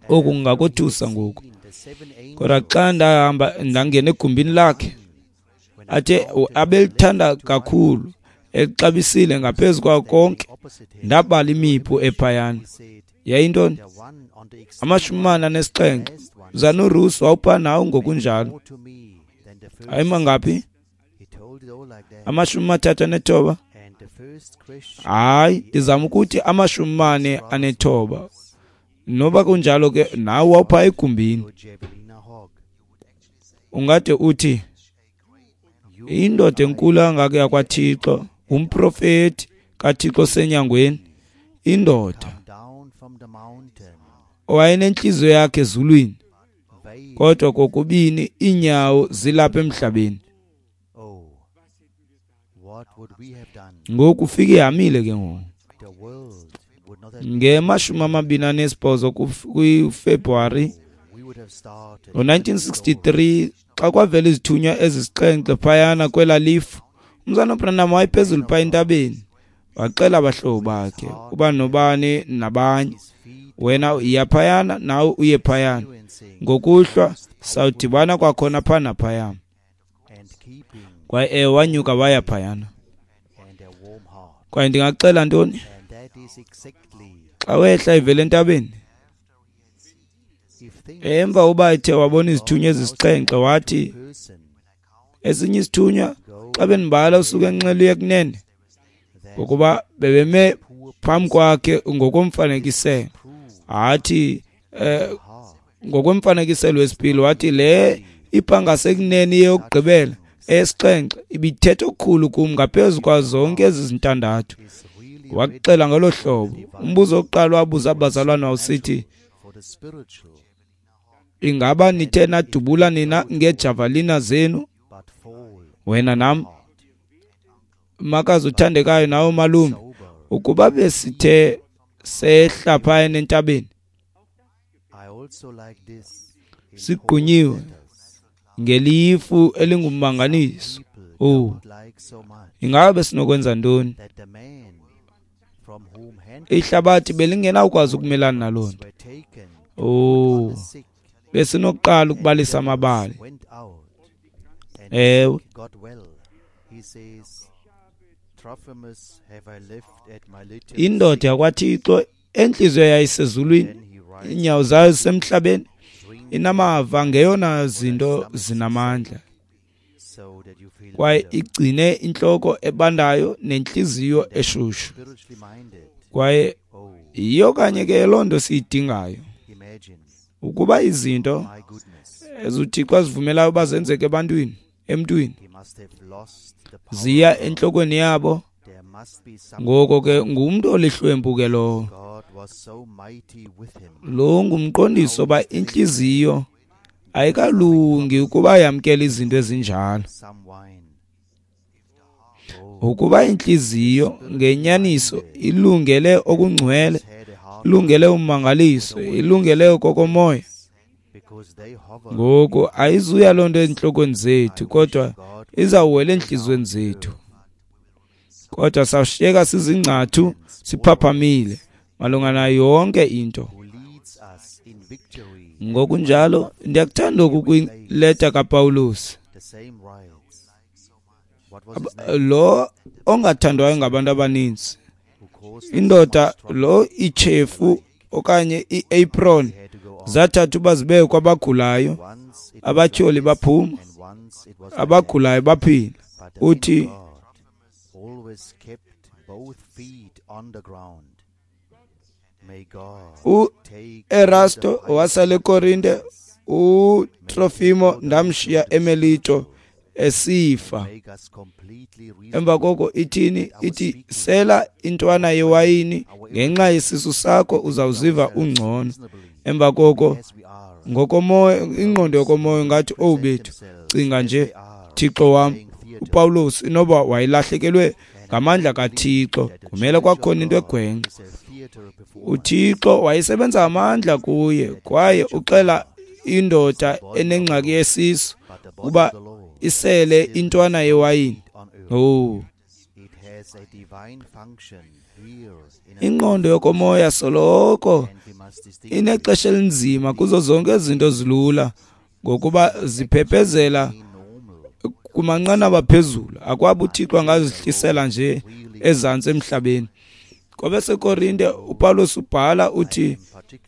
Oku kungakothusa ngoku. Kodwa xa ndahamba ndangena egumbini lakhe, athe abelithanda kakhulu, exabisile ngaphezu kwako konke, ndabala imipu ephayana. Yayintoni? Amashumi amane anesixhenxe. Zanurusi wawupha nawo ngokunjalo. Ayimangaphi? Amashumi amathathu anethoba. Hayi, ndizama ukuthi amashumi amane anethoba. Noba kunjalo ke nawe wawupha egumbini. Ungade uthi indoda enkulu kangaka yakwaThixo, umprofeti kaThixo senyangweni, indoda owayenentliziyo yakhe ezulwini, kodwa kokubini iinyawo zilapha emhlabeni. Ngoku ufike ihamile ke ngoku. Ngemashumi amabini anesibhozo kuFebruwari ngo-nineteen sixty-three, xa kwavela izithunywa ezisixhenxe phayana kwela lifu, umzana uBranham wayephezulu phaa entabeni, waxela abahlobo bakhe uba nobani nabanye, wena uya phayana nawe uye phayana, ngokuhlwa sawudibana kwakhona phaa naphaya. Kwaye ewe wanyuka waya phayana. Kwaye ndingaxela ntoni? Xa wehla ivela entabeni, emva uba ethe wabona izithunywa ezisixhenxe, wathi esinye isithunywa, xa bendibala usuke enxele uye kunene, ngokuba bebeme phambi kwakhe ngokomfanekiselo. Athi eh, ngokomfanekiselo wesipili, wathi le ipha ngasekunene yokugqibela esixhenxe ibithetha okukhulu kum ngaphezu kwazo zonke ezi zintandathu. Waxela ngolo hlobo. Umbuzo wokuqala wabuza abazalwana wawusithi, ingaba nithe nadubula nina ngeejavelina zenu? Wena nam, makazi uthandekayo nawe malume, ukuba besithe sehla phaya entabeni sigqunyiwe ngelifu elingummangaliso, oh, ingaba besinokwenza ntoni? Ihlabathi belingenawukwazi ukumelana naloo nto. Oh, besinokuqala ukubalisa amabali. Ewe. Indoda yakwaThixo entliziyo yayisezulwini, iinyawo zayo zisemhlabeni, inamava ngeyona zinto zinamandla, kwaye igcine intloko ebandayo nentliziyo eshushu. Kwaye yiyo kanye ke loo nto siyidingayo, ukuba izinto ezuThixo azivumelayo uba zenzeke ebantwini, emntwini, ziya entlokweni yabo. Ngoko ke ngumntu olihlwempu ke lowo. Lo ngumqondiso uba intliziyo ayikalungi ukuba yamkele izinto ezinjalo. Ukuba intliziyo ngenyaniso ilungele okungcwele, ilungele ummangaliso, ilungele okokomoya, ngoku ayizuya loo nto entlokweni zethu, kodwa izawuwela entliziyweni zethu. Kodwa sawushiyeka sizingcathu siphaphamile malunga nayo yonke into. Ngokunjalo ndiyakuthanda oku kwileta kaPawulos, lo ongathandwayo ngabantu abaninzi, indoda lo ichefu okanye iapron zathatha uba zibe kwabagulayo, abatyholi baphuma, abagulayo baphila. Uthi uErasto wasala eKorinte, uTrofimo ndamshiya eMelito esifa. Emva koko ithini? Ithi sela intwana yewayini ngenxa yesisu sakho uzawuziva ungcono. Emva koko ngokomoya, ingqondo yokomoya ngathi, owu bethu, cinga nje, Thixo wam. uPawulos inoba wayelahlekelwe ngamandla kaThixo, kumele kwakhona into egwenxa. UThixo wayesebenza amandla kuye, kwaye uxela indoda enengxaki yesisu uba isele intwana yewayini. Oh, ingqondo yokomoya soloko inexesha elinzima kuzo zonke izinto zilula, ngokuba ziphephezela kumanqanaba phezulu. Akwaba uThixo angazihlisela nje ezantsi emhlabeni. KwabaseKorinte uPawulos ubhala uthi,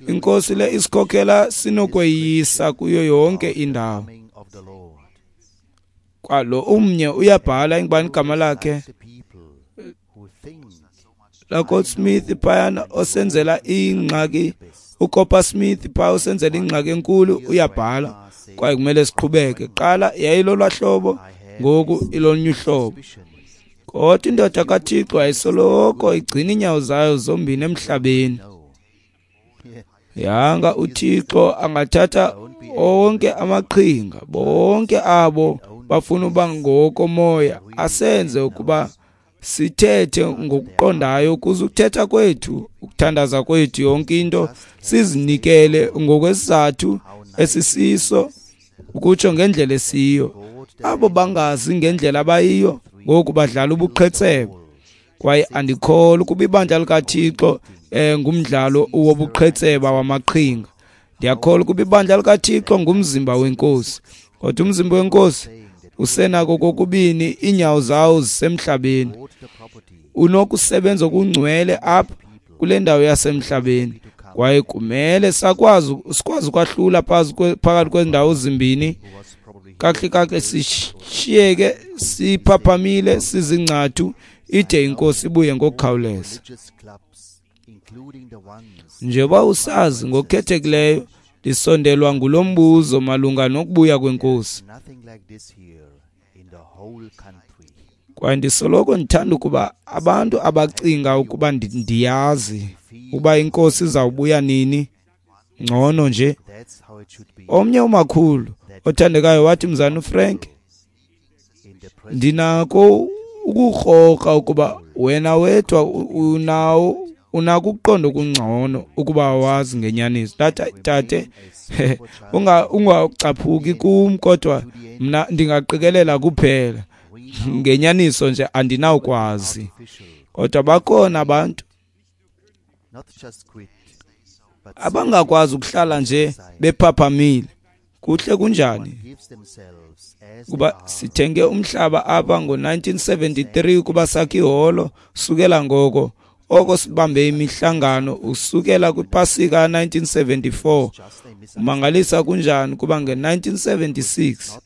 iNkosi le isikhokhela sinokweyisa kuyo yonke indawo. Kwalo umnye uyabhala, ingubani igama lakhe? LaGoldsmith phayana osenzela ingxaki, uCopper Smith phaya osenzela ingxaki enkulu, uyabhala. Kwaye kumele siqhubeke. Qala yayilolwa hlobo, ngoku ilolunye uhlobo. Kodwa indoda kaThixo ayisoloko igcina iinyawo zayo zombini emhlabeni. Yanga uThixo angathatha onke amaqhinga, bonke abo bafuna uba ngokomoya, asenze ukuba sithethe ngokuqondayo, ukuze ukuthetha kwethu, ukuthandaza kwethu, yonke into sizinikele ngokwesizathu esisiso, ukutsho ngendlela esiyo. Abo bangazi ngendlela abayiyo ngoku badlala ubuqhetseba. Kwaye andikholwa ukuba ibandla likaThixo eh, ngumdlalo wobuqhetseba wamaqhinga. Ndiyakholwa ukuba ibandla likaThixo ngumzimba weNkosi. Kodwa umzimba weNkosi usenako kokubini, iinyawo zawo zisemhlabeni. Unokusebenza okungcwele apha kule ndawo yasemhlabeni, kwaye kumele sakwazi sikwazi ukwahlula phakathi kwendawo zimbini kakuhle kakuhle, sishiyeke siphaphamile sizingcathu ide iNkosi ibuye ngokukhawuleza. Njengoba usazi ngokukhethekileyo, ndisondelwa ngulo mbuzo malunga nokubuya kweNkosi. Kwaye ndisoloko ndithanda ukuba abantu abacinga ukuba ndiyazi uba inkosi izawubuya nini ngcono nje. Omnye umakhulu othandekayo wathi, Mzana uFrank, ndinako ukukrokra ukuba wena wedwa unawo unako ukuqonda okungcono ukuba awazi ngenyaniso. Ndathi, tate, ungacaphuki kum, kodwa mna ndingaqikelela kuphela ngenyaniso nje andinawukwazi. Kodwa bakhona abantu abangakwazi ukuhlala nje bephaphamile. Kuhle kunjani kuba sithenge umhlaba apha ngo nineteen seventy-three ukuba sakhe iholo. Sukela ngoko oko sibambe imihlangano usukela kwipasika nineteen seventy-four. Umangalisa kunjani kuba nge nineteen seventy-six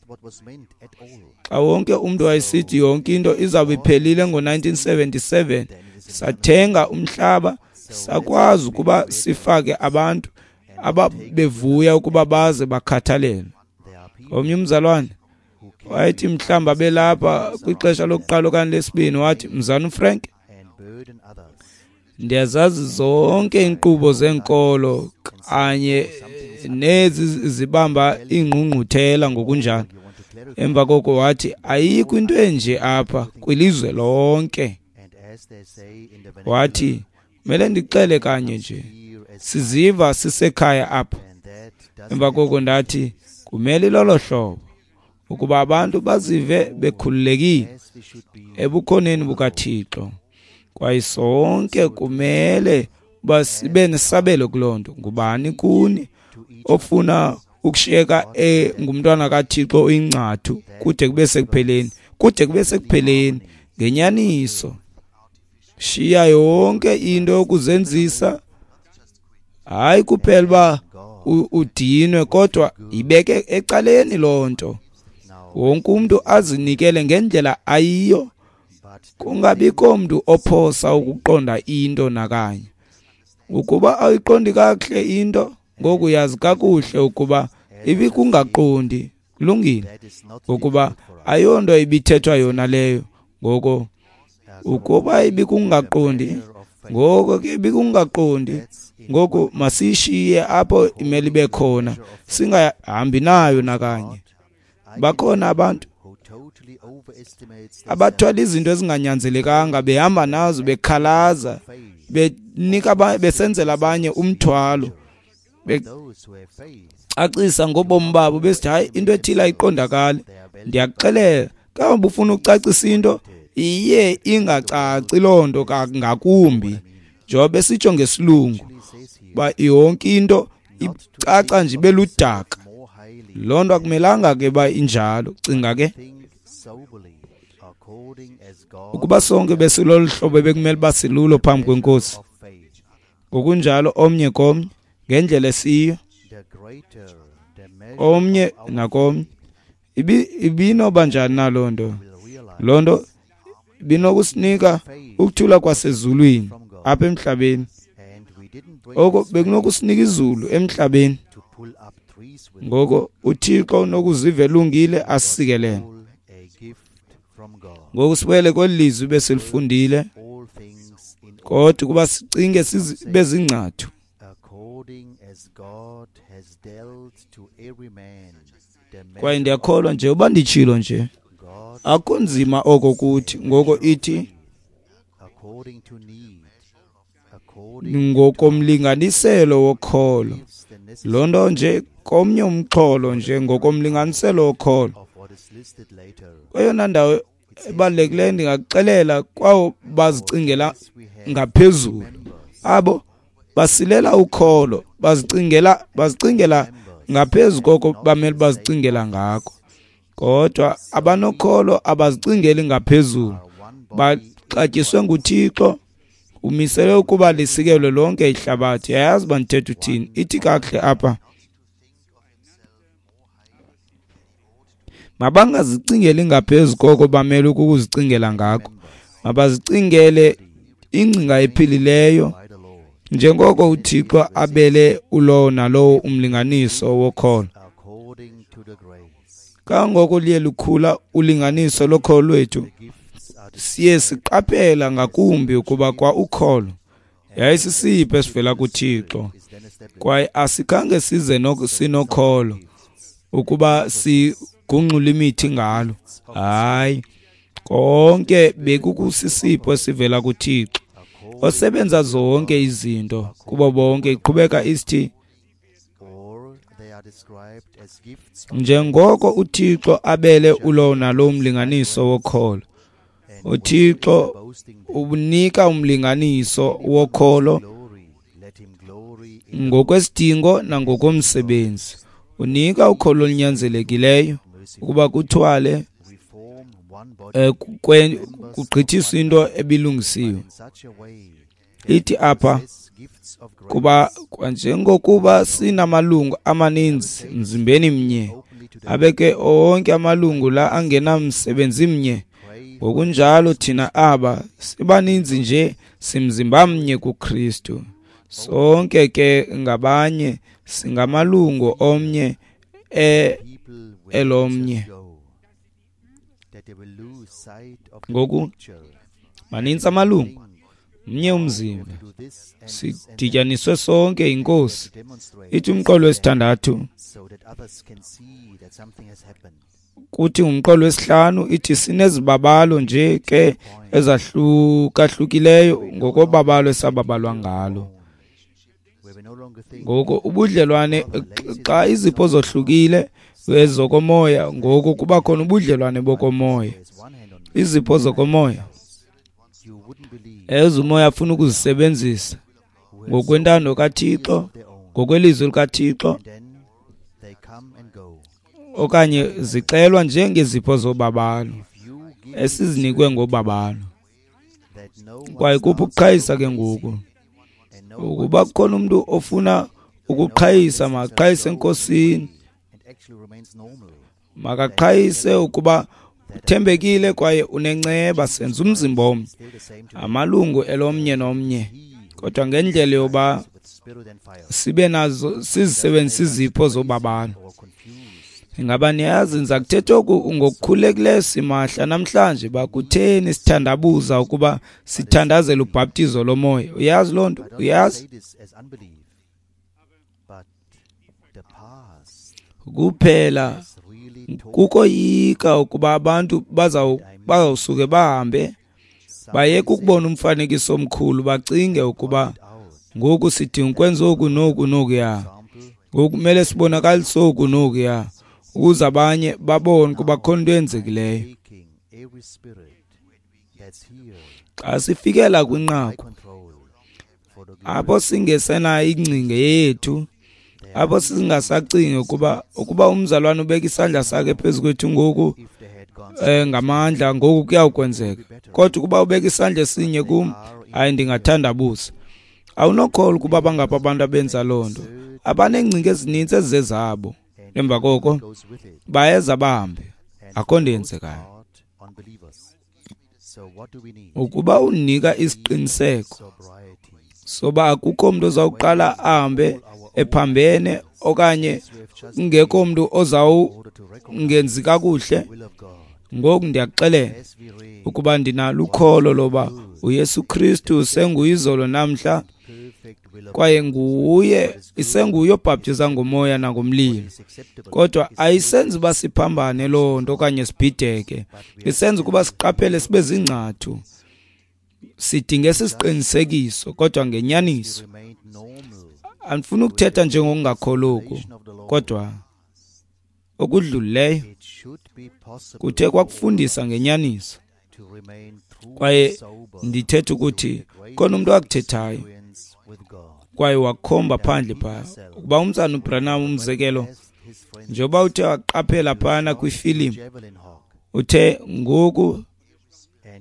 xa wonke umntu wayesithi yonke into izawube iphelile ngo nineteen seventy-seven, sathenga umhlaba sakwazi ukuba sifake abantu ababevuya ukuba baze bakhathalele. Omnye umzalwane wayethi mhlawumbi abelapha kwixesha lokuqala okanye lesibini, wathi, Mzana uFrank, ndiyazazi zonke iinkqubo zenkolo kanye nezi zibamba ingqungquthela ngokunjalo. Emva koko wathi, ayikho into enje apha kwilizwe lonke. Wathi, kumele ndixele kanye nje, siziva sisekhaya apha. Emva koko ndathi, kumele lolo hlobo ukuba abantu bazive bekhululekile ebukhoneni bukaThixo, kwaye sonke kumele uba sibe nesabelo kuloo nto. Ngubani kuni ofuna ukushiyeka engumntwana kaThixo oyingcathu kude kube sekupheleni? Kude kube sekupheleni ngenyaniso. Shiya yonke into yokuzenzisa, hayi kuphela uba udinwe, kodwa ibeke ecaleni loo nto. Wonke umntu azinikele ngendlela ayiyo, kungabikho mntu ophosa ukuqonda into nakanye. Ukuba ayiqondi kakuhle into, ngoku uyazi kakuhle ukuba ibikungaqondi. Kulungile, ngokuba ayonto ibithethwa yona leyo. Ngoko ukuba ibikungaqondi, ngoko ke ibikungaqondi. Ngoku masishiye apho imele ibe khona, singahambi nayo nakanye. Bakhona abantu abathwala izinto ezinganyanzelekanga, behamba nazo, bekhalaza, benika besenzela abanye umthwalo, becacisa ngobomi babo, besithi hayi into ethile ayiqondakali. Ndiyakuxelela, xa ubufuna ukucacisa into iye ingacaci loo nto ngakumbi, njengoba besitsho ngesilungu uba yonke into icaca nje ibe ludaka. Loo nto akumelanga ke uba injalo. Cinga ke ukuba sonke besilolu hlobo bekumele uba silulo phambi kwenkosi, ngokunjalo omnye komnye ngendlela esiyo, omnye nakomnye, ibinoba njani na loo nto? Loo nto ibinokusinika ukuthula kwasezulwini apha emhlabeni. Oko bekunokusinika izulu emhlabeni. Ngoko uThixo unokuziva elungile asisikelele. Ngoku sibuyele kweli lizwi besilifundile, kodwa ukuba sicinge sibe zingcathu Kwaye ndiyakholwa nje uba nditshilo nje, akunzima oko kuthi. Ngoko ithi ngokomlinganiselo wokholo, loo nto nje komnye umxholo nje ngokomlinganiselo wokholo. Kweyona ndawo ebalulekileyo ndingakuxelela kwawo bazicingela ngaphezulu, abo basilela ukholo, bazicingela bazicingela ngaphezu koko bamele bazicingela ngako. Kodwa abanokholo abazicingeli ngaphezulu, baxatyiswe nguThixo, umisele ukuba lisikelwe lonke ihlabathi. Yayazi uba ndithetha uthini? Ithi kakuhle apha, mabangazicingeli ngaphezu koko bamele ukuzicingela ngako, mabazicingele ingcinga ephilileyo, njengoko uThixo abele ulowo nalowo umlinganiso wokholo. Kangoko liye lukhula ulinganiso lokholo lwethu, Siye siqaphela ngakumbi ukuba kwa ukholo yayisisipho esivela kuThixo, kwaye asikhange size sinokholo ukuba sigungxule imithi ngalo. Hayi, konke bekukusisipho esivela kuThixo osebenza zonke izinto kubo bonke. Iqhubeka isithi, njengoko uThixo abele ulo nalo mlinganiso wokholo, uThixo unika umlinganiso wokholo ngokwesidingo nangokomsebenzi. Unika ukholo olunyanzelekileyo ukuba kuthwale kugqithiswe into ebilungisiwe. Ithi apha, kuba kwanjengokuba sinamalungu amaninzi mzimbeni mnye, abeke onke amalungu la angenamsebenzi mnye, ngokunjalo thina aba sibaninzi nje simzimba mnye kuKristu. Sonke ke ngabanye singamalungu omnye elomnye. Ngoku maninzi amalungu, mnye umzimba, sidityaniswe sonke yinkosi. Ithi umqolo wesithandathu, kuthi umqolo wesihlanu ithi sinezibabalo nje ke ezahlukahlukileyo ngokobabalo esababalwa ngalo. Ngoko ubudlelwane, xa izipho zohlukile ezokomoya, ngoku kuba khona ubudlelwane bokomoya. Izipho zokomoya ezumoya afuna ukuzisebenzisa ngokwentando kaThixo, ngokwelizwi likaThixo, okanye zixelwa njengezipho zobabalo esizinikwe ngobabalo. Kwaye kuphi ukuqhayisa ke ngoku? Ukuba kukhona umuntu ofuna ukuqhayisa, makaqhayise eNkosini, makaqhayise ukuba uthembekile kwaye unenceba. Senza umzimba omnye, amalungu elomnye nomnye, kodwa ngendlela yoba sibe nazo sizisebenzise izipho zobabalo. Ingaba niyazi, ndiza kuthetha oku ngokukhulekileyo simahla namhlanje, bakutheni sithandabuza ukuba sithandazele ubhaptizo lomoya? Uyazi loo nto? Uyazi? Kuphela kukoyika ukuba abantu bazawusuke bahambe bayeke ukubona umfanekiso omkhulu, bacinge ukuba ngoku sidinga ukwenza oku noku nokuya, ngoku kumele sibonakalise oku nokuya, ukuze abanye babone ukuba khona into eyenzekileyo. Xa sifikela kwinqaku apho singesenayo ingcinga yethu, apho singasacingi ukuba ukuba umzalwane ubeka isandla sakhe phezu kwethu ngoku eh, ngamandla, ngoku kuyawukwenzeka, kodwa ukuba ubeka isandla esinye kum, hayi, ndingathandabuza. Awunokholwa ukuba bangapha abantu abenza loo nto, abaneengcinga ezininzi ezizezabo. Emva koko bayeza bahambe, akho nto yenzekayo. Ukuba unika isiqiniseko soba akukho mntu ozawuqala ahambe ephambene okanye kungekho mntu ozawungenzi kakuhle, ngoku ndiyakuxelela ukuba ndinalo ukholo loba uYesu Kristu senguyizolo namhla, kwaye nguye isenguye obhaptiza ngomoya nangomlilo. Kodwa ayisenzi uba siphambane loo nto okanye sibhideke, isenza ukuba siqaphele sibe zingcathu. Sidinga esi siqinisekiso, kodwa ngenyaniso. Andifuni ukuthetha njengokungakholwa oku, kodwa okudlulileyo kuthe kwakufundisa ngenyaniso. Kwaye ndithetha ukuthi khona umuntu akuthethayo kwaye wakhomba phandle phaa ukuba umzana uBranham, umzekelo, njengoba uthe waqaphela phana kwifilimu, uthe ngoku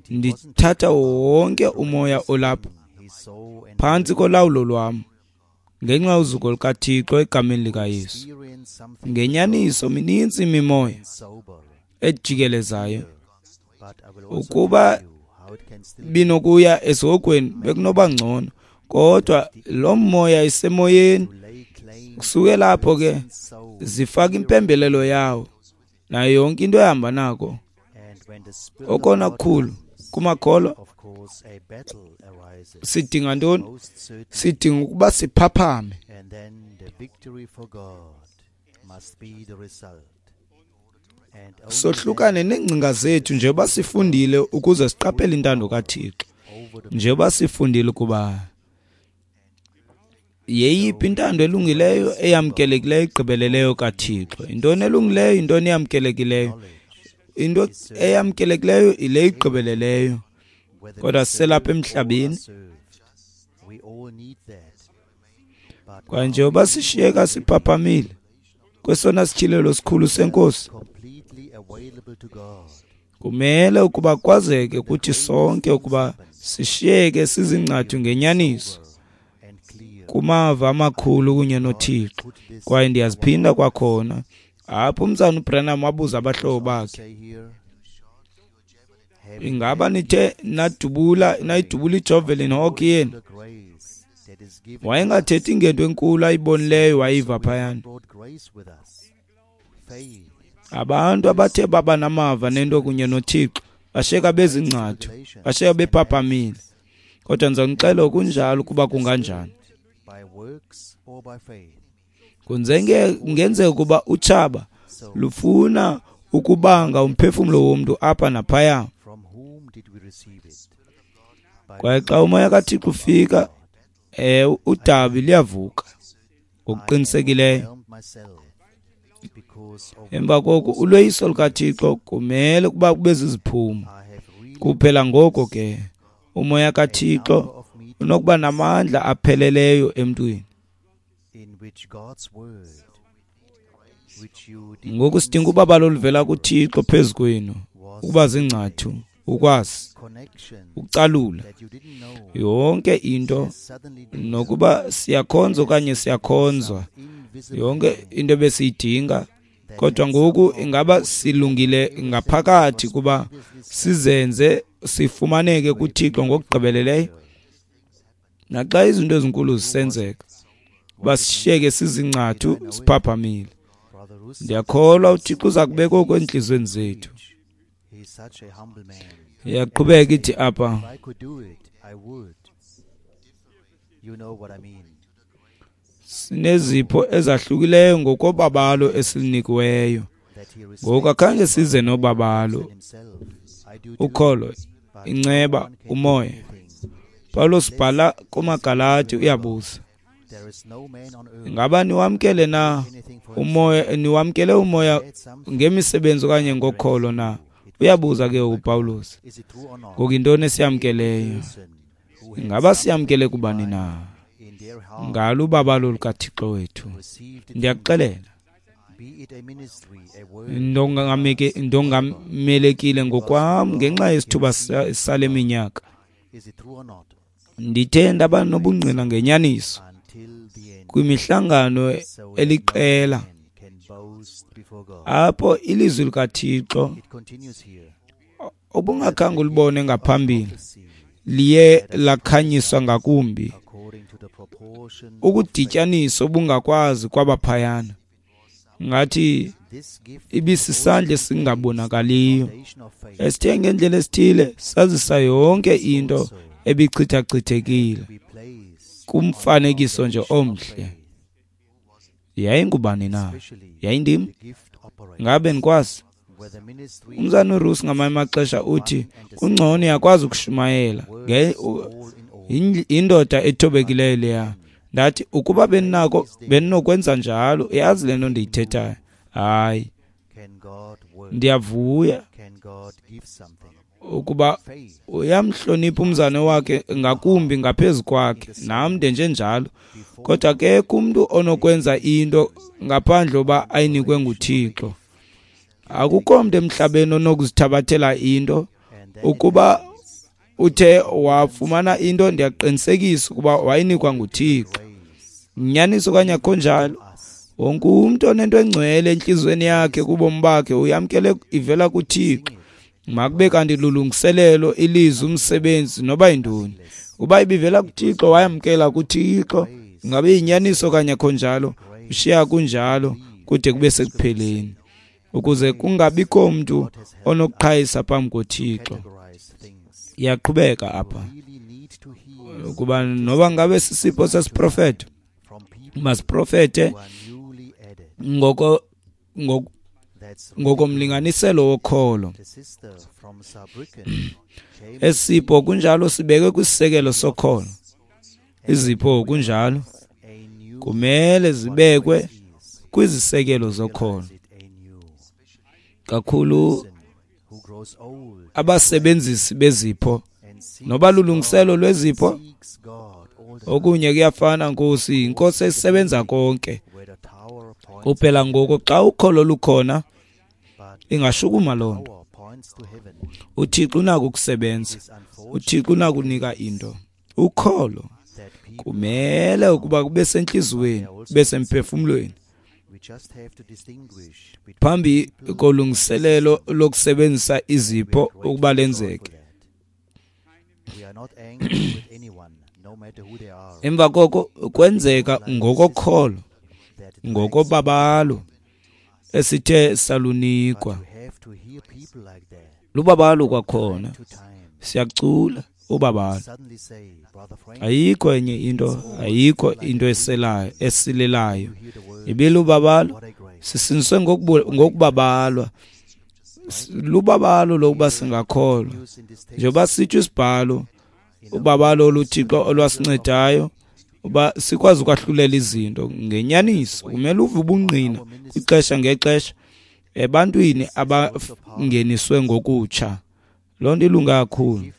ndithatha wonke umoya olapha phantsi kolawulo lwam ngenxa yozuko lukaThixo egameni likaYesu. Ngenyaniso minintsi imimoya ejikelezayo. Ukuba binokuya esihogweni bekunoba ngcono, kodwa lo moya isemoyeni. Kusuke lapho ke zifaka impembelelo yawo nayo yonke into ehamba nako. Okona kukhulu kumakholwa, sidinga ntoni? Sidinga ukuba siphaphame. Sohlukane neengcinga zethu njengoba sifundile ukuze siqaphele intando kaThixo. Njengoba sifundile ukuba yeyiphi intando elungileyo, eyamkelekileyo, igqibeleleyo kaThixo. Intoni elungileyo, intoni eyamkelekileyo? Into eyamkelekileyo ile igqibeleleyo. Kodwa siselapha emhlabeni, kwaye njengoba sishiyeka siphaphamile kwesona sityhilelo sikhulu seNkosi, kumele ukuba kwazeke kuthi sonke ukuba sishiyeke sizingcathu ngenyaniso kumava amakhulu kunye noThixo. Kwaye ndiyaziphinda kwakhona apho umzana uBranham wabuza abahlobo bakhe, ingaba nithe nadubula nayidubula iJovelin Hawk yenu? Wayengathethi ngento enkulu ayibonileyo wayiva phayana. Abantu abathe baba namava nento kunye noThixo bashiyeka bezingcathu, bashiyeka bephaphamile. Kodwa ndizonixela okunjalo ukuba kunganjani. Kungenzeka ukuba utshaba lufuna ukubanga umphefumlo womntu apha naphaya. Kwaye xa umoya kaThixo ufika, eh udabi liyavuka ngokuqinisekileyo. Emva koko uloyiso lukaThixo kumele ukuba kube ziziphumo kuphela. Ngoko ke umoya kaThixo unokuba namandla apheleleyo emntwini. Ngoku sidinga ubabalo oluvela kuThixo phezu kwenu ukuba zingcathu, ukwazi ukucalula yonke into, nokuba siyakhonza okanye siyakhonzwa, yonke into ebesiyidinga. Kodwa ngoku ingaba silungile ngaphakathi kuba sizenze sifumaneke kuThixo ngokugqibeleleyo? Naxa izinto ezinkulu zisenzeka, basishiyeke sizingcathu siphaphamile. Ndiyakholwa uThixo uza kubeka oku entliziyweni zethu. Iyaqhubeka ithi apha, sinezipho ezahlukileyo ngokobabalo esilinikiweyo. Ngoku akhange size nobabalo, ukholo, inceba, umoya. Paulos bhala kumaGalati uyabuza, ingaba niwamkele na umoya, niwamkele umoya ngemisebenzi okanye ngokholo na? Uyabuza ke uPaulos. Ngoku yintoni esiyamkeleyo? Ingaba siyamkele kubani na? Ngalo ubabalo lukaThixo wethu. Ndiyakuxelela, ndongamelekile ngokwam ngenxa yesithuba sale minyaka. Ndithe ndaba nobungqina ngenyaniso kwimihlangano eliqela apho ilizwi likaThixo obungakhange ulibone ngaphambili liye lakhanyiswa ngakumbi, ukudityaniswa obungakwazi kwabaphayana. Ngathi ibisisandla esingabonakaliyo esithe ngendlela esithile sazisa yonke into ebichithachithekile kumfanekiso nje omhle. Yayingubani na? Yayindim? Ngabe nikwazi? Umzana uRusi ngamanye amaxesha uthi kungcono uyakwazi ukushumayela. Indoda ethobekileyo leya. Ndathi ukuba benako benokwenza njalo, yazi le nto ndiyithethayo. Hayi, ndiyavuya ukuba uyamhlonipha umzane wakhe ngakumbi ngaphezu kwakhe, nam ndenje njalo. Kodwa akekho umntu onokwenza into ngaphandle uba ayinikwe nguThixo. Akukho mntu emhlabeni onokuzithabathela into. Ukuba uthe wafumana into, ndiyaqinisekisa ukuba wayinikwa nguThixo. Nyaniso okanye akho njalo, wonke umntu onento engcwele entliziyweni yakhe kubomi bakhe uyamkele ivela kuThixo. Makube kanti lulungiselelo, ilizwi, umsebenzi, noba yintoni. Uba ibivela kuThixo, wayamkela kuThixo. Ingabe yinyaniso okanye akho njalo, ushiya kunjalo kude kube sekupheleni, ukuze kungabikho mntu onokuqhayisa phambi koThixo. Iyaqhubeka apha ukuba noba ngabe sisipho sesiprofeto, masiprofete ngoko ngokomlinganiselo wokholo. Esipho kunjalo sibekwe kwisisekelo sokholo. Izipho kunjalo kumele zibekwe kwizisekelo zokholo. Kakhulu abasebenzisi bezipho noba lulungiselo lwezipho, okunye kuyafana Nkosi, inkosi esebenza konke. Kuphela ngoko xa ukholo lukhona ingashukuma loo nto. UThixo unako ukusebenza, uThixo unako unika into. Ukholo kumele ukuba kube sentliziyweni, kube semphefumlweni. Phambi kolungiselelo lokusebenzisa izipho ukuba lenzeke. Emva koko kwenzeka ngokokholo, ngokobabalo esithe salunikwa. Lubabalo kwakhona, siyacula ubabalo. Ayikho enye into, ayikho into eselayo esilelayo. Ibilubabalo, sisiniswe ngokubabalwa. Lubabalo lokuba singakholwa. Njengoba sitsho isibhalo, ubabalo oluThixo olwasincedayo uba sikwazi ukwahlulela izinto ngenyaniso. Kumele uve ubungqina kwixesha ngexesha ebantwini abangeniswe ngokutsha. Loo nto ilunga kakhulu.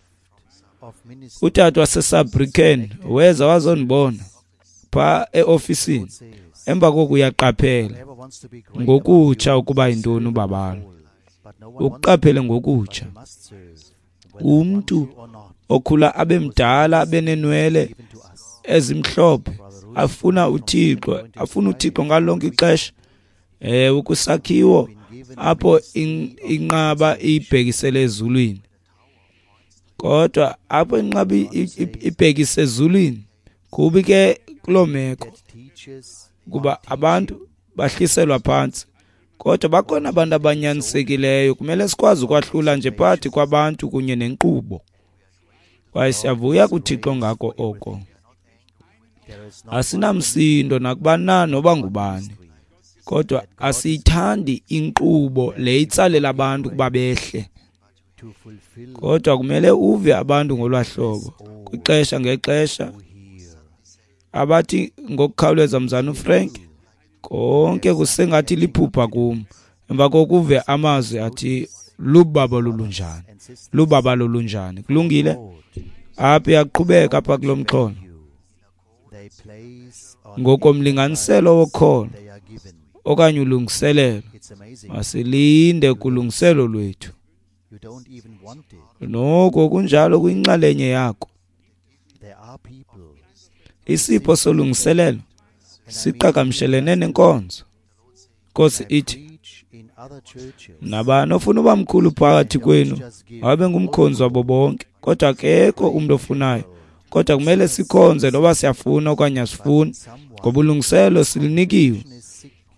Utata waseSaarbrücken weza wazondibona phaa eofisini. Emva koko uyaqaphela ngokutsha ukuba yintoni ubabalo. Ukuqaphele ngokutsha. Umntu okhula abe mdala abe nenwele ezimhlophe afuna uThixo, afuna uThixo ngalo lonke ixesha. Eh ukusakhiwo apho inqaba ibhekisele ezulwini. Kodwa apho inqaba ibhekise ezulwini kubi ke kuloo meko kuba abantu bahliselwa phantsi. Kodwa bakhona abantu abanyanisekileyo, kumele sikwazi ukwahlula nje phakathi kwabantu kunye nenkqubo. Kwaye siyavuya kuThixo ngako oko. Asinamsindo nakuba na noba ngubani, kodwa asiyithandi inkqubo le itsalela abantu kuba behle. Kodwa kumele uve abantu ngolwahlobo kwixesha ngexesha abathi ngokukhawuleza, mzana uFrank, konke kusengathi liphupha kum. Emva kokuve amazwi athi lubaba lolunjani, lubaba lolunjani. Kulungile, apha iyaqhubeka apha kulo mxholo ngokomlinganiselo wokholo okanye ulungiselelo. Masilinde kulungiselo lwethu. Noko kunjalo kuyinxalenye yakho. Isipho solungiselelo siqhagamshelene nenkonzo. Nkosi ithi, nabani ofuna uba mkhulu phakathi kwenu abe ngumkhonzi wabo bonke. Kodwa akekho umntu ofunayo. Kodwa kumele sikhonze noba siyafuna okanye asifuni, ngoba ulungiselo silinikiwe.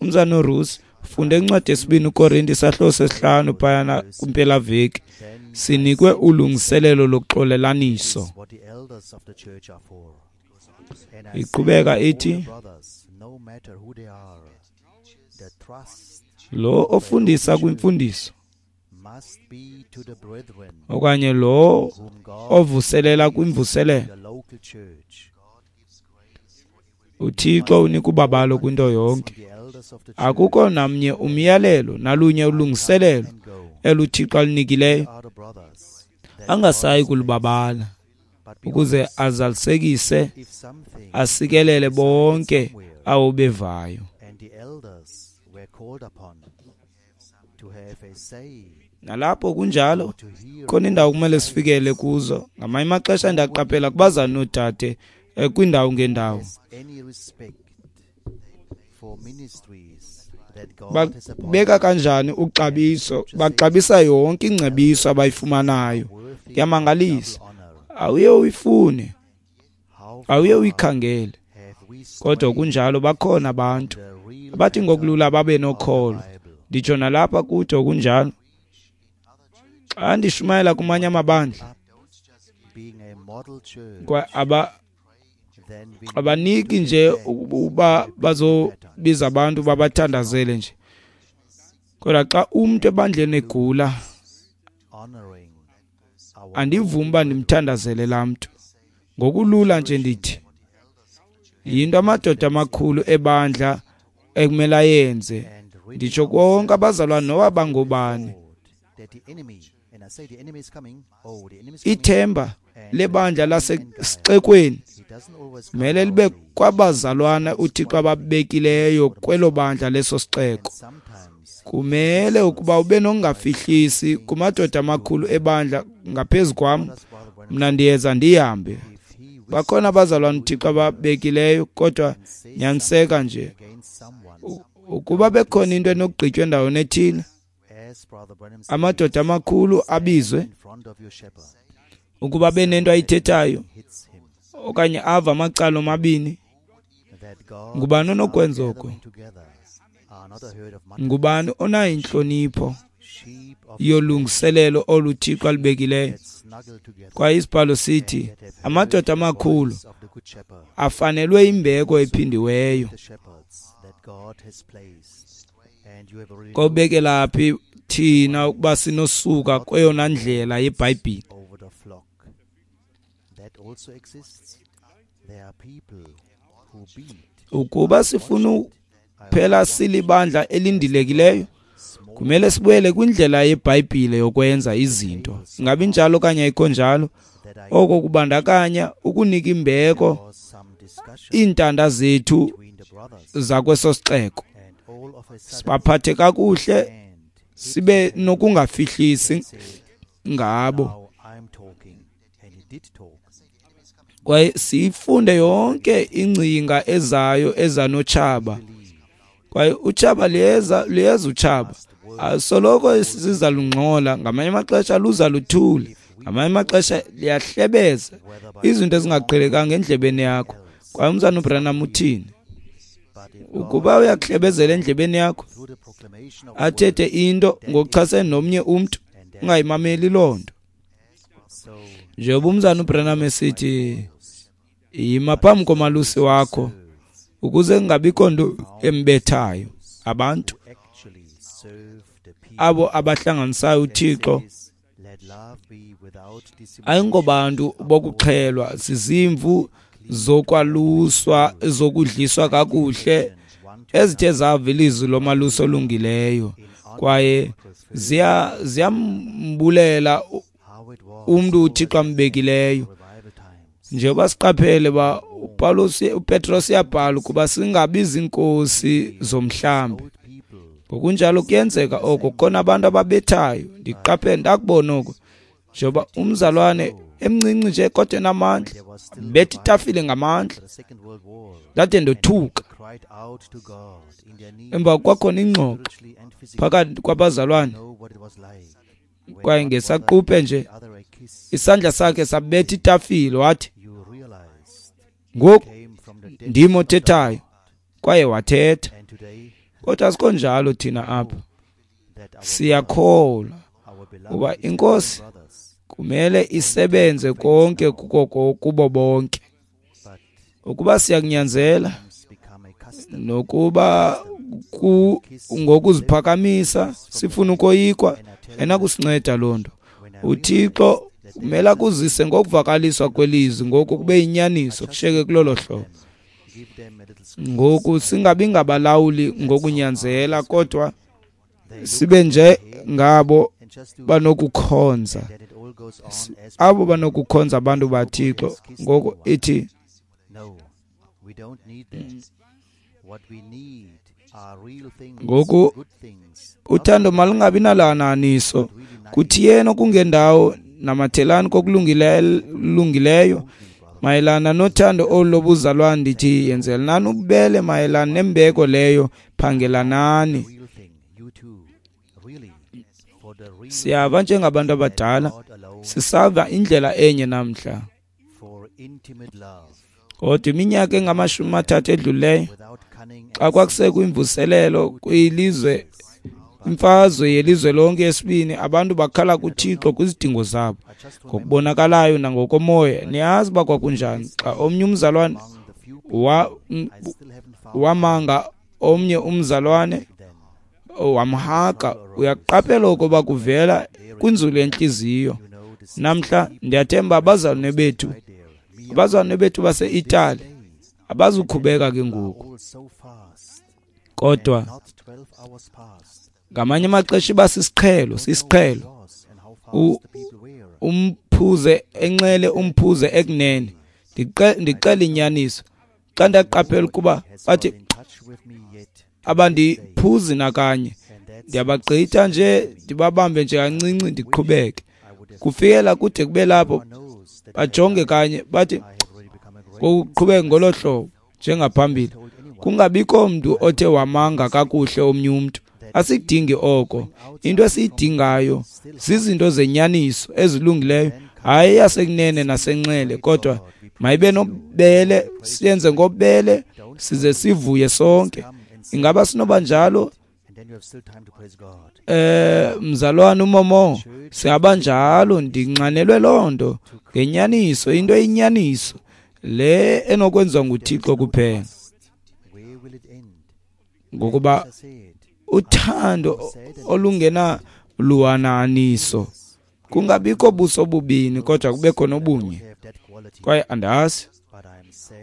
Umzana uRusi funde incwadi yesibini uKorinte isahluko sesihlanu phayana kwimpelaveki. Sinikwe ulungiselelo lokuxolelaniso. Iqhubeka ithi, lo ofundisa kwimfundiso okanye lo ovuselela kwimvuselelo, uThixo unika ubabalo kwinto yonke. Akukho namnye umyalelo nalunye ulungiselelo eluThixo alinikileyo angasayi kulubabala ukuze azalisekise asikelele bonke abo bevayo. Nalapho kunjalo khona indawo kumele sifikele kuzo. Ngamanye amaxesha ndiyaqaphela kubazana noodade kwiindawo ngeendawo babeka kanjani uxabiso, baxabisa yonke ingcebiso abayifumanayo. Kuyamangalisa. Awuye uyifune, awuye uyikhangele, kodwa kunjalo bakhona abantu abathi ngokulula babe nokholo. Nditsho nalapha kude kunjalo. Xa ndishumayela kumanye amabandla, Kwa aba abaniki nje uba bazobiza abantu babathandazele nje. Kodwa xa umntu ebandleni egula, andivumi uba ndimthandazele laa mntu. Ngokulula nje ndithi yinto amadoda amakhulu ebandla ekumele ayenze. Nditsho konke abazalwane noba bangobani. Ithemba lebandla lasesixekweni mele libe kwabazalwana uThixo ababekileyo kwelo bandla leso sixeko. Kumele ukuba ube nokungafihlisi kumadoda amakhulu ebandla ngaphezu kwam, mna ndiyeza ndihambe. Bakhona abazalwana uThixo ababekileyo, kodwa nyaniseka nje ukuba bekhona into enokugqitywa endaweni ethile, amadoda amakhulu abizwe ukuba benento ayithethayo okanye ava amacala omabini. Ngubani onokwenza oko? Ngubani onayo intlonipho yolungiselelo olu Thixo alubekileyo? Kwaye isibhalo sithi amadoda amakhulu afanelwe imbeko ephindiweyo. Kobekela phi thina ukuba sinosuka kweyona ndlela yeBhayibhile? Ukuba sifuna phela silibandla elindilekileyo, kumele sibuyele kwindlela yeBhayibhile yokwenza izinto. Ingabi njalo okanye ayikho njalo? Oko kubandakanya ukunika imbeko iintanda zethu zakweso sixeko, sibaphathe kakuhle, sibe nokungafihlisi ngabo, kwaye siyifunde yonke ingcinga ezayo ezanotshaba. Kwaye utshaba liyeza, liyeza utshaba, asoloko siza lungxola, ngamanye amaxesha luza luthule, ngamanye amaxesha liyahlebeza izinto ezingaqhelekanga endlebeni yakho. Kwaye umzana uBranham uthini? Ukuba uyakuhlebezela endlebeni yakho, athethe into ngokuchasene nomnye umntu, ungayimameli loo nto. Njengoba umzana uBranham esithi, yima phambi komalusi wakho ukuze kungabikho nto embethayo. Abantu abo abahlanganisayo uThixo ayingobantu bokuxhelwa, zizimvu zokwaluswa, zokudliswa kakuhle, ezithe zava ilizwi lomalusi olungileyo, kwaye ziya ziyambulela umntu uThixo ambekileyo. Njengoba siqaphele ba uPawulos uPetros uyabhala ukuba singabi zinkosi zomhlambi. Ngokunjalo kuyenzeka oko, khona abantu ababethayo. Ndiqaphele ndakubona oko, njengoba umzalwane emncinci nje kodwa enamandla, betha itafile ngamandla, ndade ndothuka. Emva kwakhona ingxoxo phakathi kwabazalwane, kwaye ngesaquphe nje isandla sakhe sabetha itafile, wathi, ngoku ndim othethayo. Kwaye wathetha. Kodwa asikho njalo thina apha. Siyakholwa uba iNkosi kumele isebenze konke kuko kubo bonke. Ukuba siyakunyanzela nokuba ku ngokuziphakamisa sifuna ukoyikwa, ayinakusinceda loo nto. UThixo kumele akuzise ngokuvakaliswa kwelizwi, ngoku kube yinyaniso, kushiyeke kulolo hlobo. Ngoku singabi ngabalawuli ngokunyanzela, kodwa sibe nje ngabo banokukhonza, abo banokukhonza abantu baThixo. Ngoku ithi ngoku uthando malungabi nalananiso, kuthi yena okungendawo namathelani kokulungileyo. Mayelana nothando olu lobuzalwane ndithi yenzelanani ububele, mayelana nembeko leyo phangelanani. Siyava njengabantu abadala, sisava indlela enye namhla. Kodwa iminyaka engamashumi amathathu edlulileyo, xa kwakusekho imvuselelo kwilizwe Imfazwe yelizwe lonke yesibini, abantu bakhala kuThixo kwizidingo zabo ngokubonakalayo nangokomoya. Niyazi uba kwakunjani xa omnye umzalwane wa, wamanga omnye umzalwane wamhaka. Uyaqaphela ukuba kuvela kwinzulu yentliziyo. Namhla ndiyathemba abazalwane bethu, abazalwane bethu base-Itali abazukhubeka ke ngoku, kodwa ngamanye amaxesha iba sisiqhelo, sisiqhelo. Umphuze enxele, umphuze ekunene. Ndixela inyaniso xa ndaqaphela ukuba bathi abandiphuzi nakanye, ndiyabagqitha nje, ndibabambe nje kancinci, ndiqhubeke kufikela kude kube lapho bajonge kanye, bathi ngokuqhubeka ngolo hlobo njengaphambili. Kungabikho mntu othe wamanga kakuhle omnye umntu. Asikudingi oko. Into esiyidingayo zizinto zenyaniso ezilungileyo, hayi yasekunene nasenxele, kodwa mayibe nobubele, siyenze ngobubele size sivuye sonke. Ingaba sinoba njalo? Eh mzalwane uMomo, singaba njalo. Ndinxanelwe loo nto ngenyaniso, into eyinyaniso le enokwenziwa nguThixo kuphela, ngokuba uthando olungena luhananiso, kungabikho buso bubini, kodwa kubekho nobunye. Kwaye andazi,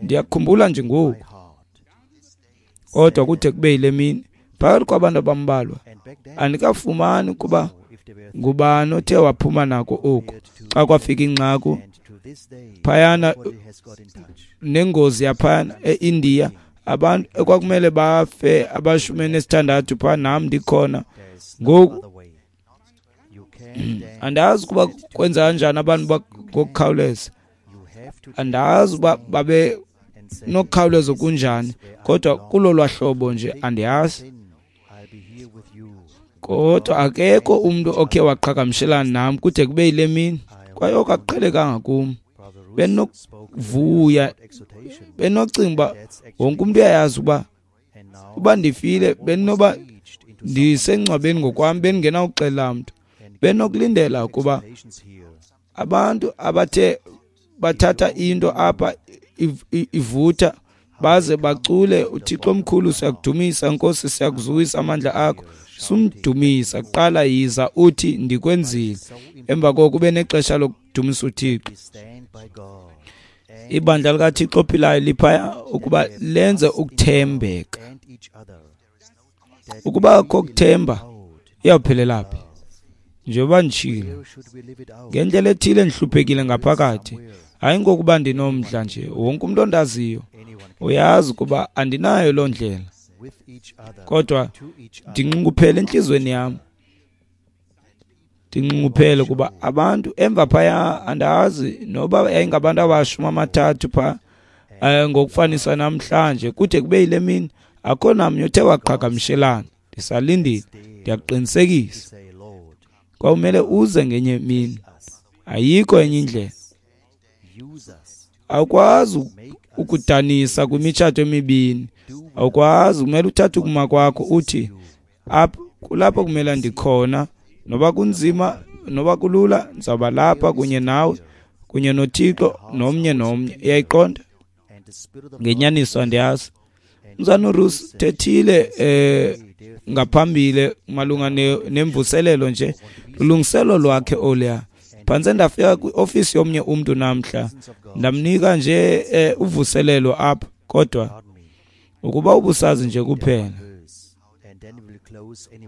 ndiyakhumbula nje ngoku, kodwa kude kube yile mini phakathi kwabantu abambalwa andikafumani ukuba ngubani othe waphuma nako oku. Xa kwafika inxaku phayana nengozi yaphayana eIndiya, abantu ekwakumele bafe abashumi nesithandathu phaa, nam ndikhona ngoku. Andazi ukuba kwenza kanjani abantu ngokukhawuleza, andazi uba babe nokukhawuleza kunjani, kodwa kulo lwahlobo nje andiyazi. Kodwa akekho umntu okhe waqhagamshelana nam kude kube yile mini, kwaye oko akuqhelekanga kum. Benokuvuya, benocinga uba wonke umntu uyayazi uba uba ndifile, benoba ndisengcwabeni ngokwam, bendingenawuxelela mntu. Benokulindela ukuba abantu abathe bathatha into apha ivutha baze bacule, uThixo omkhulu siyakudumisa, Nkosi siyakuzukisa amandla akho. Sumdumisa kuqala, yiza uthi ndikwenzile, emva koko ube nexesha lokudumisa uThixo. Ibandla likaThixo ophilayo liphaya ukuba lenze ukuthembeka. Ukuba akho kuthemba, iyawuphelela phi? Njengoba nditshilo, ngendlela ethile ndihluphekile ngaphakathi, hayi ngokuba ndinomdla nje. Wonke umntu ondaziyo uyazi ukuba andinayo loo ndlela, kodwa ndinxunguphele entliziyweni yam. Ndinxunguphele kuba abantu emva phaya, andazi noba yayingabantu abashumi amathathu phaa ngokufanisa namhlanje, kude kube yile mini akho namnye othe waqhagamshelana. Ndisalindile, ndiyakuqinisekisa. Kwawumele uze ngenye imini, ayikho enye indlela. Awukwazi ukudanisa kwimitshato emibini, awukwazi. Kumele uthathe ukuma kwakho uthi apha kulapho kumele ndikhona, noba kunzima noba kulula, ndizawuba lapha kunye nawe, kunye noThixo, nomnye nomnye. Uyayiqonda? Ngenyaniso andiyazi. Mzana uRuth thethile eh ngaphambili malunga nemvuselelo nje, ulungiselo lwakhe oluya. Phantse ndafika kwiofisi yomnye umntu namhla, ndamnika nje eh, uvuselelo apha, kodwa ukuba ubusazi nje kuphela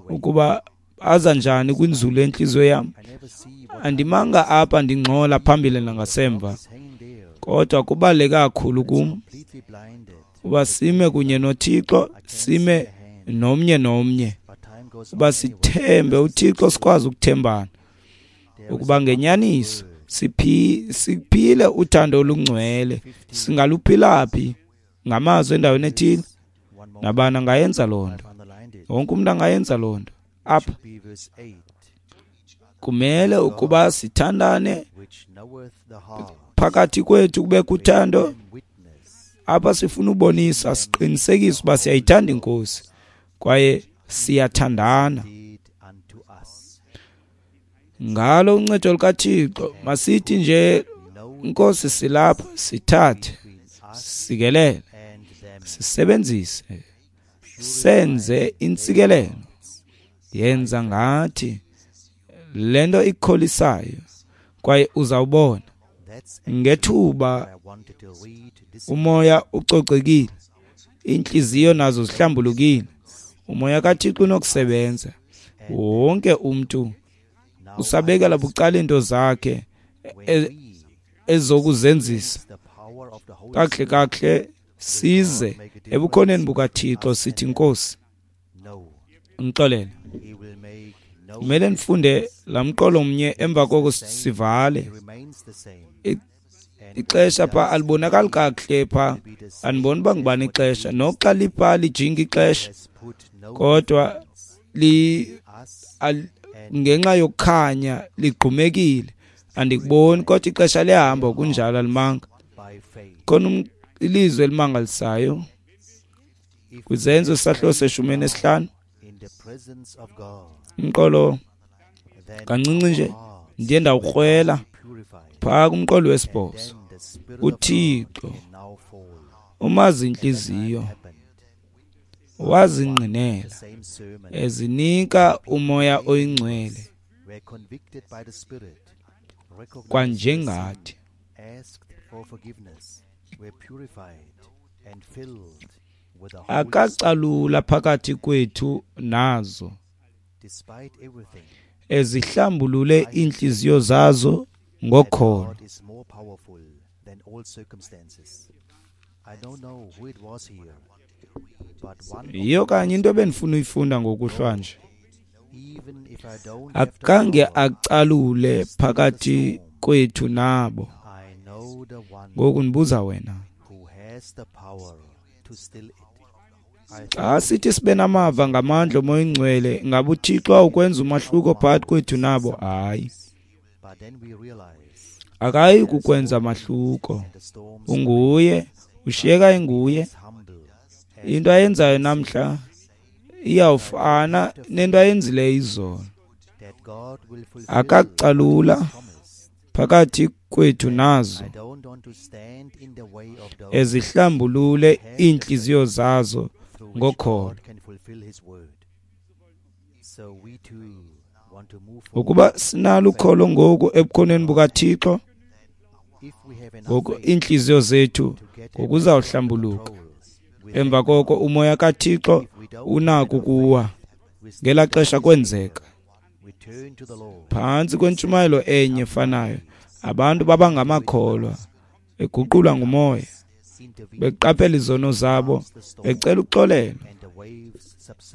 ukuba aza njani kwinzulu yenhliziyo yam. Andimanga apha ndingxola phambili nangasemva, kodwa kubaluleke kakhulu kum uba sime kunye noThixo, sime nomnye nomnye, uba sithembe uThixo, sikwazi ukuthembana, ukuba ngenyaniso siphile uthando olungcwele. Singaluphila phi? Ngamazwi endaweni ethile. Nabani angayenza loo nto, wonke umntu angayenza loo nto. Apha kumele ukuba sithandane phakathi kwethu, kube kuthando. Apha sifuna ubonisa, siqinisekise uba siyayithanda iNkosi kwaye siyathandana. Ngalo uncedo lukaThixo masithi nje, Nkosi, silapha, sithathe, sikelele, sisebenzise, senze intsikelelo. Yenza ngathi le nto ikukholisayo, kwaye uzawubona ngethuba umoya ucocekile, iintliziyo nazo zihlambulukile, umoya kaThixo unokusebenza. Wonke umntu usabekela bucala iinto zakhe ezokuzenzisa. Kakuhle kakuhle size ebukhoneni bukaThixo sithi, Nkosi, ngixolele. Kumele ndifunde laa mqolo mnye, emva koko sivale. Ixesha pha alibonakali kakuhle pha, andiboni uba ngubani ixesha. Noxa lipha lijinga ixesha, kodwa li ngenxa yokukhanya ligqumekile, andikuboni, kodwa ixesha liyahamba kunjalo, alimanga. Khona ilizwi elimangalisayo kwiZenzo isahluko seshumi nesihlanu, umqolo kancinci nje ndiye ndawukrwela phaa kumqolo wesibhozo. UThixo umazi intliziyo, wazingqinela ezinika umoya oyingcwele kwanjengathi. Akacalula phakathi kwethu nazo, ezihlambulule iintliziyo zazo ngokholo. Yiyo kanye into ebendifuna uyifunda ngokuhlwa nje. Akange acalule phakathi kwethu nabo. Ngoku ndibuza wena, xa sithi sibe namava ngamandla omoya oyingcwele, ngabe uThixo awukwenza umahluko phakathi kwethu nabo? Hayi, akayi kukwenza mahluko. Unguye, ushiyeka enguye. Into ayenzayo namhla iyawufana nento ayenzileyo izolo. Akakucalula phakathi kwethu nazo, ezihlambulule iintliziyo zazo ngokholo. Ukuba sinalo ukholo ngoku ebukhoneni bukaThixo, ngoku iintliziyo zethu ngokuzawuhlambuluka. Emva koko umoya kaThixo unako ukuwa. Ngelaa xesha kwenzeka phantsi kwentshumayelo enye efanayo, abantu baba ngamakholwa, beguqulwa ngumoya, beqaphela izono zabo, becela uxolelo,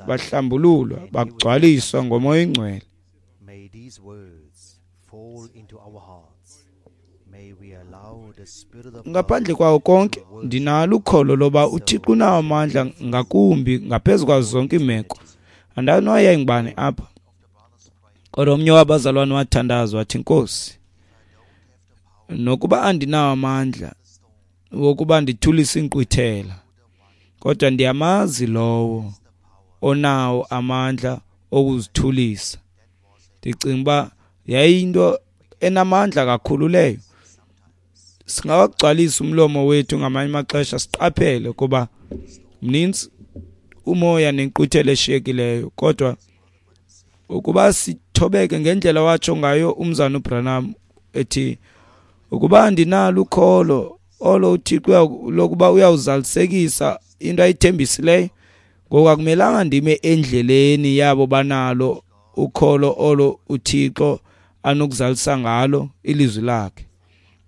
bahlambululwa, bagcwaliswa ngomoya oyingcwele. Ngaphandle kwawo konke, ndinalo ukholo loba uThixo unawo amandla ngakumbi ngaphezu kwazo zonke iimeko. Andazi noba yayingubani apha, kodwa omnye wabazalwane wathandaza wathi, Nkosi, nokuba andinawo amandla wokuba ndithulise inkqwithela, kodwa ndiyamazi lowo onawo amandla okuzithulisa. Ndicinga uba yayiyinto enamandla kakhulu leyo. Singawagcwalisa umlomo wethu ngamanye amaxesha, siqaphele kuba mninzi umoya nenkqwithela eshiyekileyo, kodwa ukuba sithobeke ngendlela watsho ngayo umzana uBranham ethi, ukuba andinalo ukholo olo uThixo lokuba uyawuzalisekisa into ayithembisileyo, ngoku akumelanga ndime endleleni yabo banalo ukholo olo uThixo anokuzalisa ngalo ilizwi lakhe.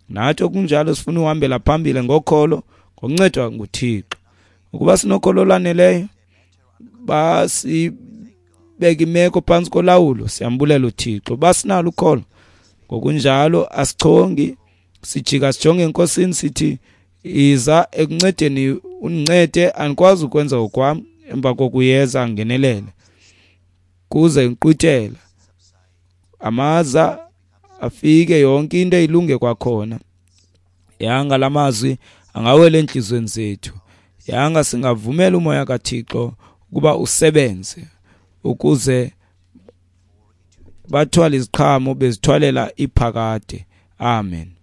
Nathi okunjalo sifuna uhambela phambili ngokholo, ngokuncedwa nguThixo. Ukuba sinokholo olwaneleyo, basibeka imeko phantsi kolawulo, siyambulela uThixo. Basinalo ukholo, ngokunjalo asichongi, sijika sijonge eNkosini sithi, iza ekuncedeni, undincede, andikwazi ukwenza okwam. Emva kokuyeza angenelele, kuze inkqwithela, amaza afike, yonke into ilunge kwakhona. Yanga lamazwi angawela entliziyweni zethu. Yanga singavumela umoya kaThixo ukuba usebenze ukuze Bathwale iziqhamo bezithwalela iphakade. Amen.